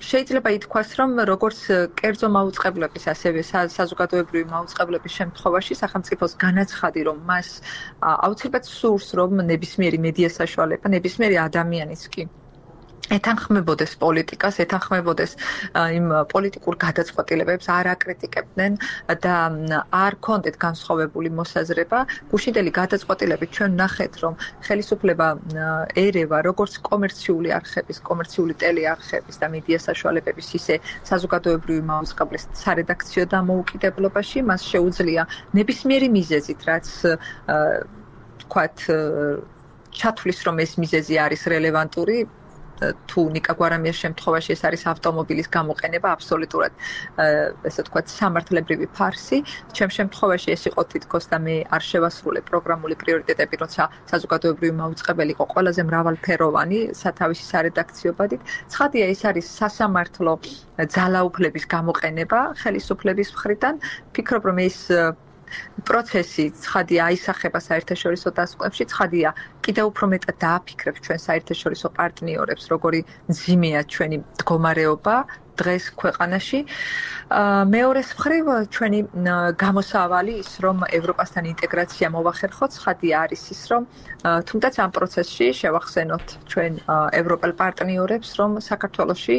შეიძლება ითქვას, რომ როგორც კერძო მაუწყებლების, ასევე საზოგადოებრივი მაუწყებლების შემთხვევაში სახელმწიფოს განაცხადი, რომ მას აუცილებლად სურს, რომ ნებისმიერი მედია საშუალება, ნებისმიერი ადამიანიც კი ეთანხმებოდეს პოლიტიკას, ეთანხმებოდეს იმ პოლიტიკურ გადაწყვეტილებებს, არ აკრიტიკებდნენ და არ კონდეთ განსხვავებული მოსაზრება. გუშინდელი გადაწყვეტილებით ჩვენ ნახეთ, რომ ხელისუფლება ერევა როგორც კომერციული არხების, კომერციული ტელეარხების და მედია საშუალებების, ისე საზოგადოებრივი მაუწყებლის სარედაქციო დამოუკიდებლობაში, მას შეუძლია ნებისმიერი მიზეზით, რაც თქვათ ჩათვლის, რომ ეს მიზეზი არის რელევანტური, თუ ნიკა გვარამიას შემთხვევაში ეს არის ავტომობილის გამოყენება, აბსოლუტურად ესე ვთქვათ სამართლებრივი ფარსი. ჩემ შემთხვევაში ეს იყო თითქოს და მე არ შევასრულე პროგრამული პრიორიტეტები, როცა საზოგადოებრივი მაუწყებელი იყო ყველაზე მრავალფეროვანი სათავისი სარედაქციო ბადით. ცხადია, ეს არის სასამართლო ძალაუფლების გამოყენება ხელისუფლების მხრიდან. ფიქრობ, რომ ეს პროცესი ცხადია აისახება საერთაშორისო დასკვნებში, ცხადია კიდევ უფრო მეტად დააფიქრებს ჩვენ საერთაშორისო პარტნიორებს, როგორი მძიმეა ჩვენი მდგომარეობა დღეს ქვეყანაში. მეორეს მხრივ ჩვენი გამოსავალი ის, რომ ევროპასთან ინტეგრაცია მოვახერხოთ, ცხადია არის ის, რომ თუნდაც ამ პროცესში შევახსენოთ ჩვენ ევროპელ პარტნიორებს, რომ საქართველოში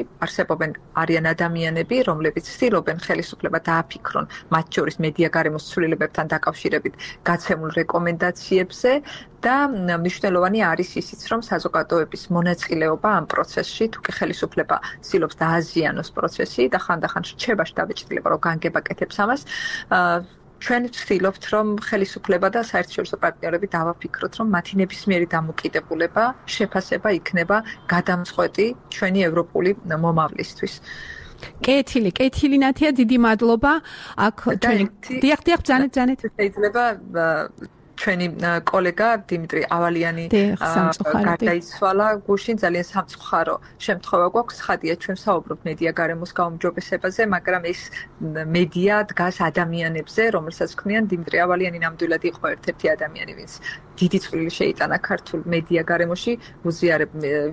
არიან ადამიანები, რომლებიც ცდილობენ ხელისუფლება დააფიქრონ, მათ შორის მედია გარემოს ცვლილებებთან დაკავშირებით გაცემულ რეკომენდაციებზე და მნიშვნელოვანი არის ისიც, რომ საზოგადოების მონაწილეობა ამ პროცესში, თუ კი ხელისუფლება ცდილობს დააზიანოს პროცესი და ხანდახან რჩება შთაბეჭდილება, რომ განგებაკეთებს ამას, ჩვენ ვცდილობთ, რომ ხელისუფლება და საერთაშორისო პარტნიორები დავაფიქროთ, რომ მათი ნებისმიერი დამოკიდებულება, შეფასება იქნება გადამწყვეტი ჩვენი ევროპული მომავლისთვის. კეთილი ნათია, დიდი მადლობა. აქ ჩვენი დიახ, ბრძანეთ. შეიძლება ჩვენი კოლეგა დიმიტრი ავალიანი გარდაიცვალა გუშინ, ძალიან სამწუხარო შემთხვევა გვაქვს. ხადია, ჩვენ საუბრობთ მედია გარემოს გაუმჯობესებაზე, მაგრამ ეს მედია დგას ადამიანებზე, რომელსაც ქმნიან. დიმიტრი ავალიანი ნამდვილად იყო ერთ-ერთი ადამიანი, ვინც დიდი წვლილი შეიტანა ქართულ მედია გარემოში,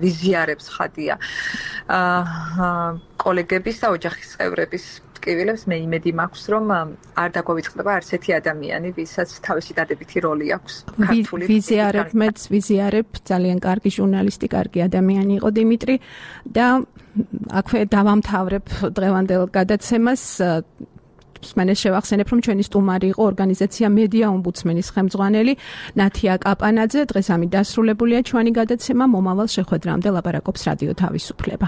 ვიზიარებს ხადია კოლეგების და ოჯახის წევრების ტკივილებს. მე იმედი მაქვს, რომ არ დაგვავიწყდება არც ერთი ადამიანი, ვისაც თავისი დადებითი როლი აქვს ქართული ვიზიარებ, ძალიან კარგი ჟურნალისტი, კარგი ადამიანი იყო დიმიტრი და აქვე დავამთავრებ დღევანდელ გადაცემას. მან შევახსენებ, რომ ჩვენი სტუმარი იყო ორგანიზაცია მედია ომბუდსმენის ხელმძღვანელი ნათია კაპანაძე. დღეს ამით დასრულებულია ჩვენი გადაცემა. მომავალ შეხვედრამდე ლაპარაკობს რადიო თავისუფლება.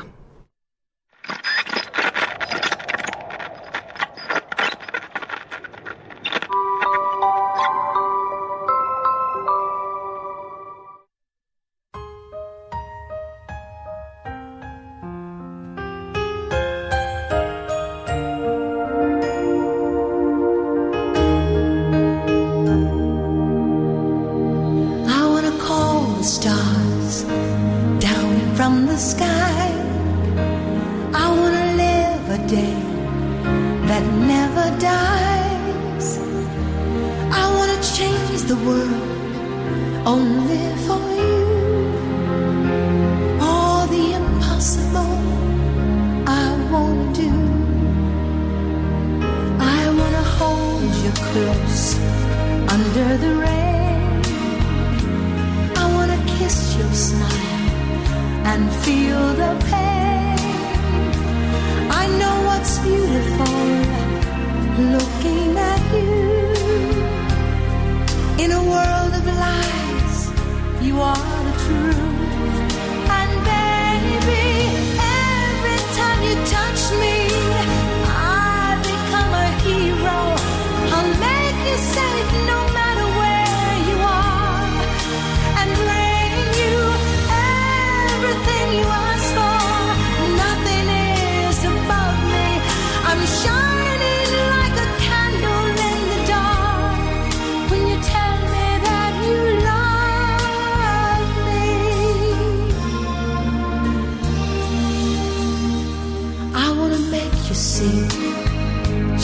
Say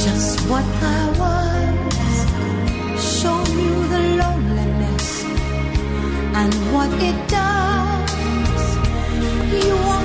just what I was, shown you the loneliness and what it does. You are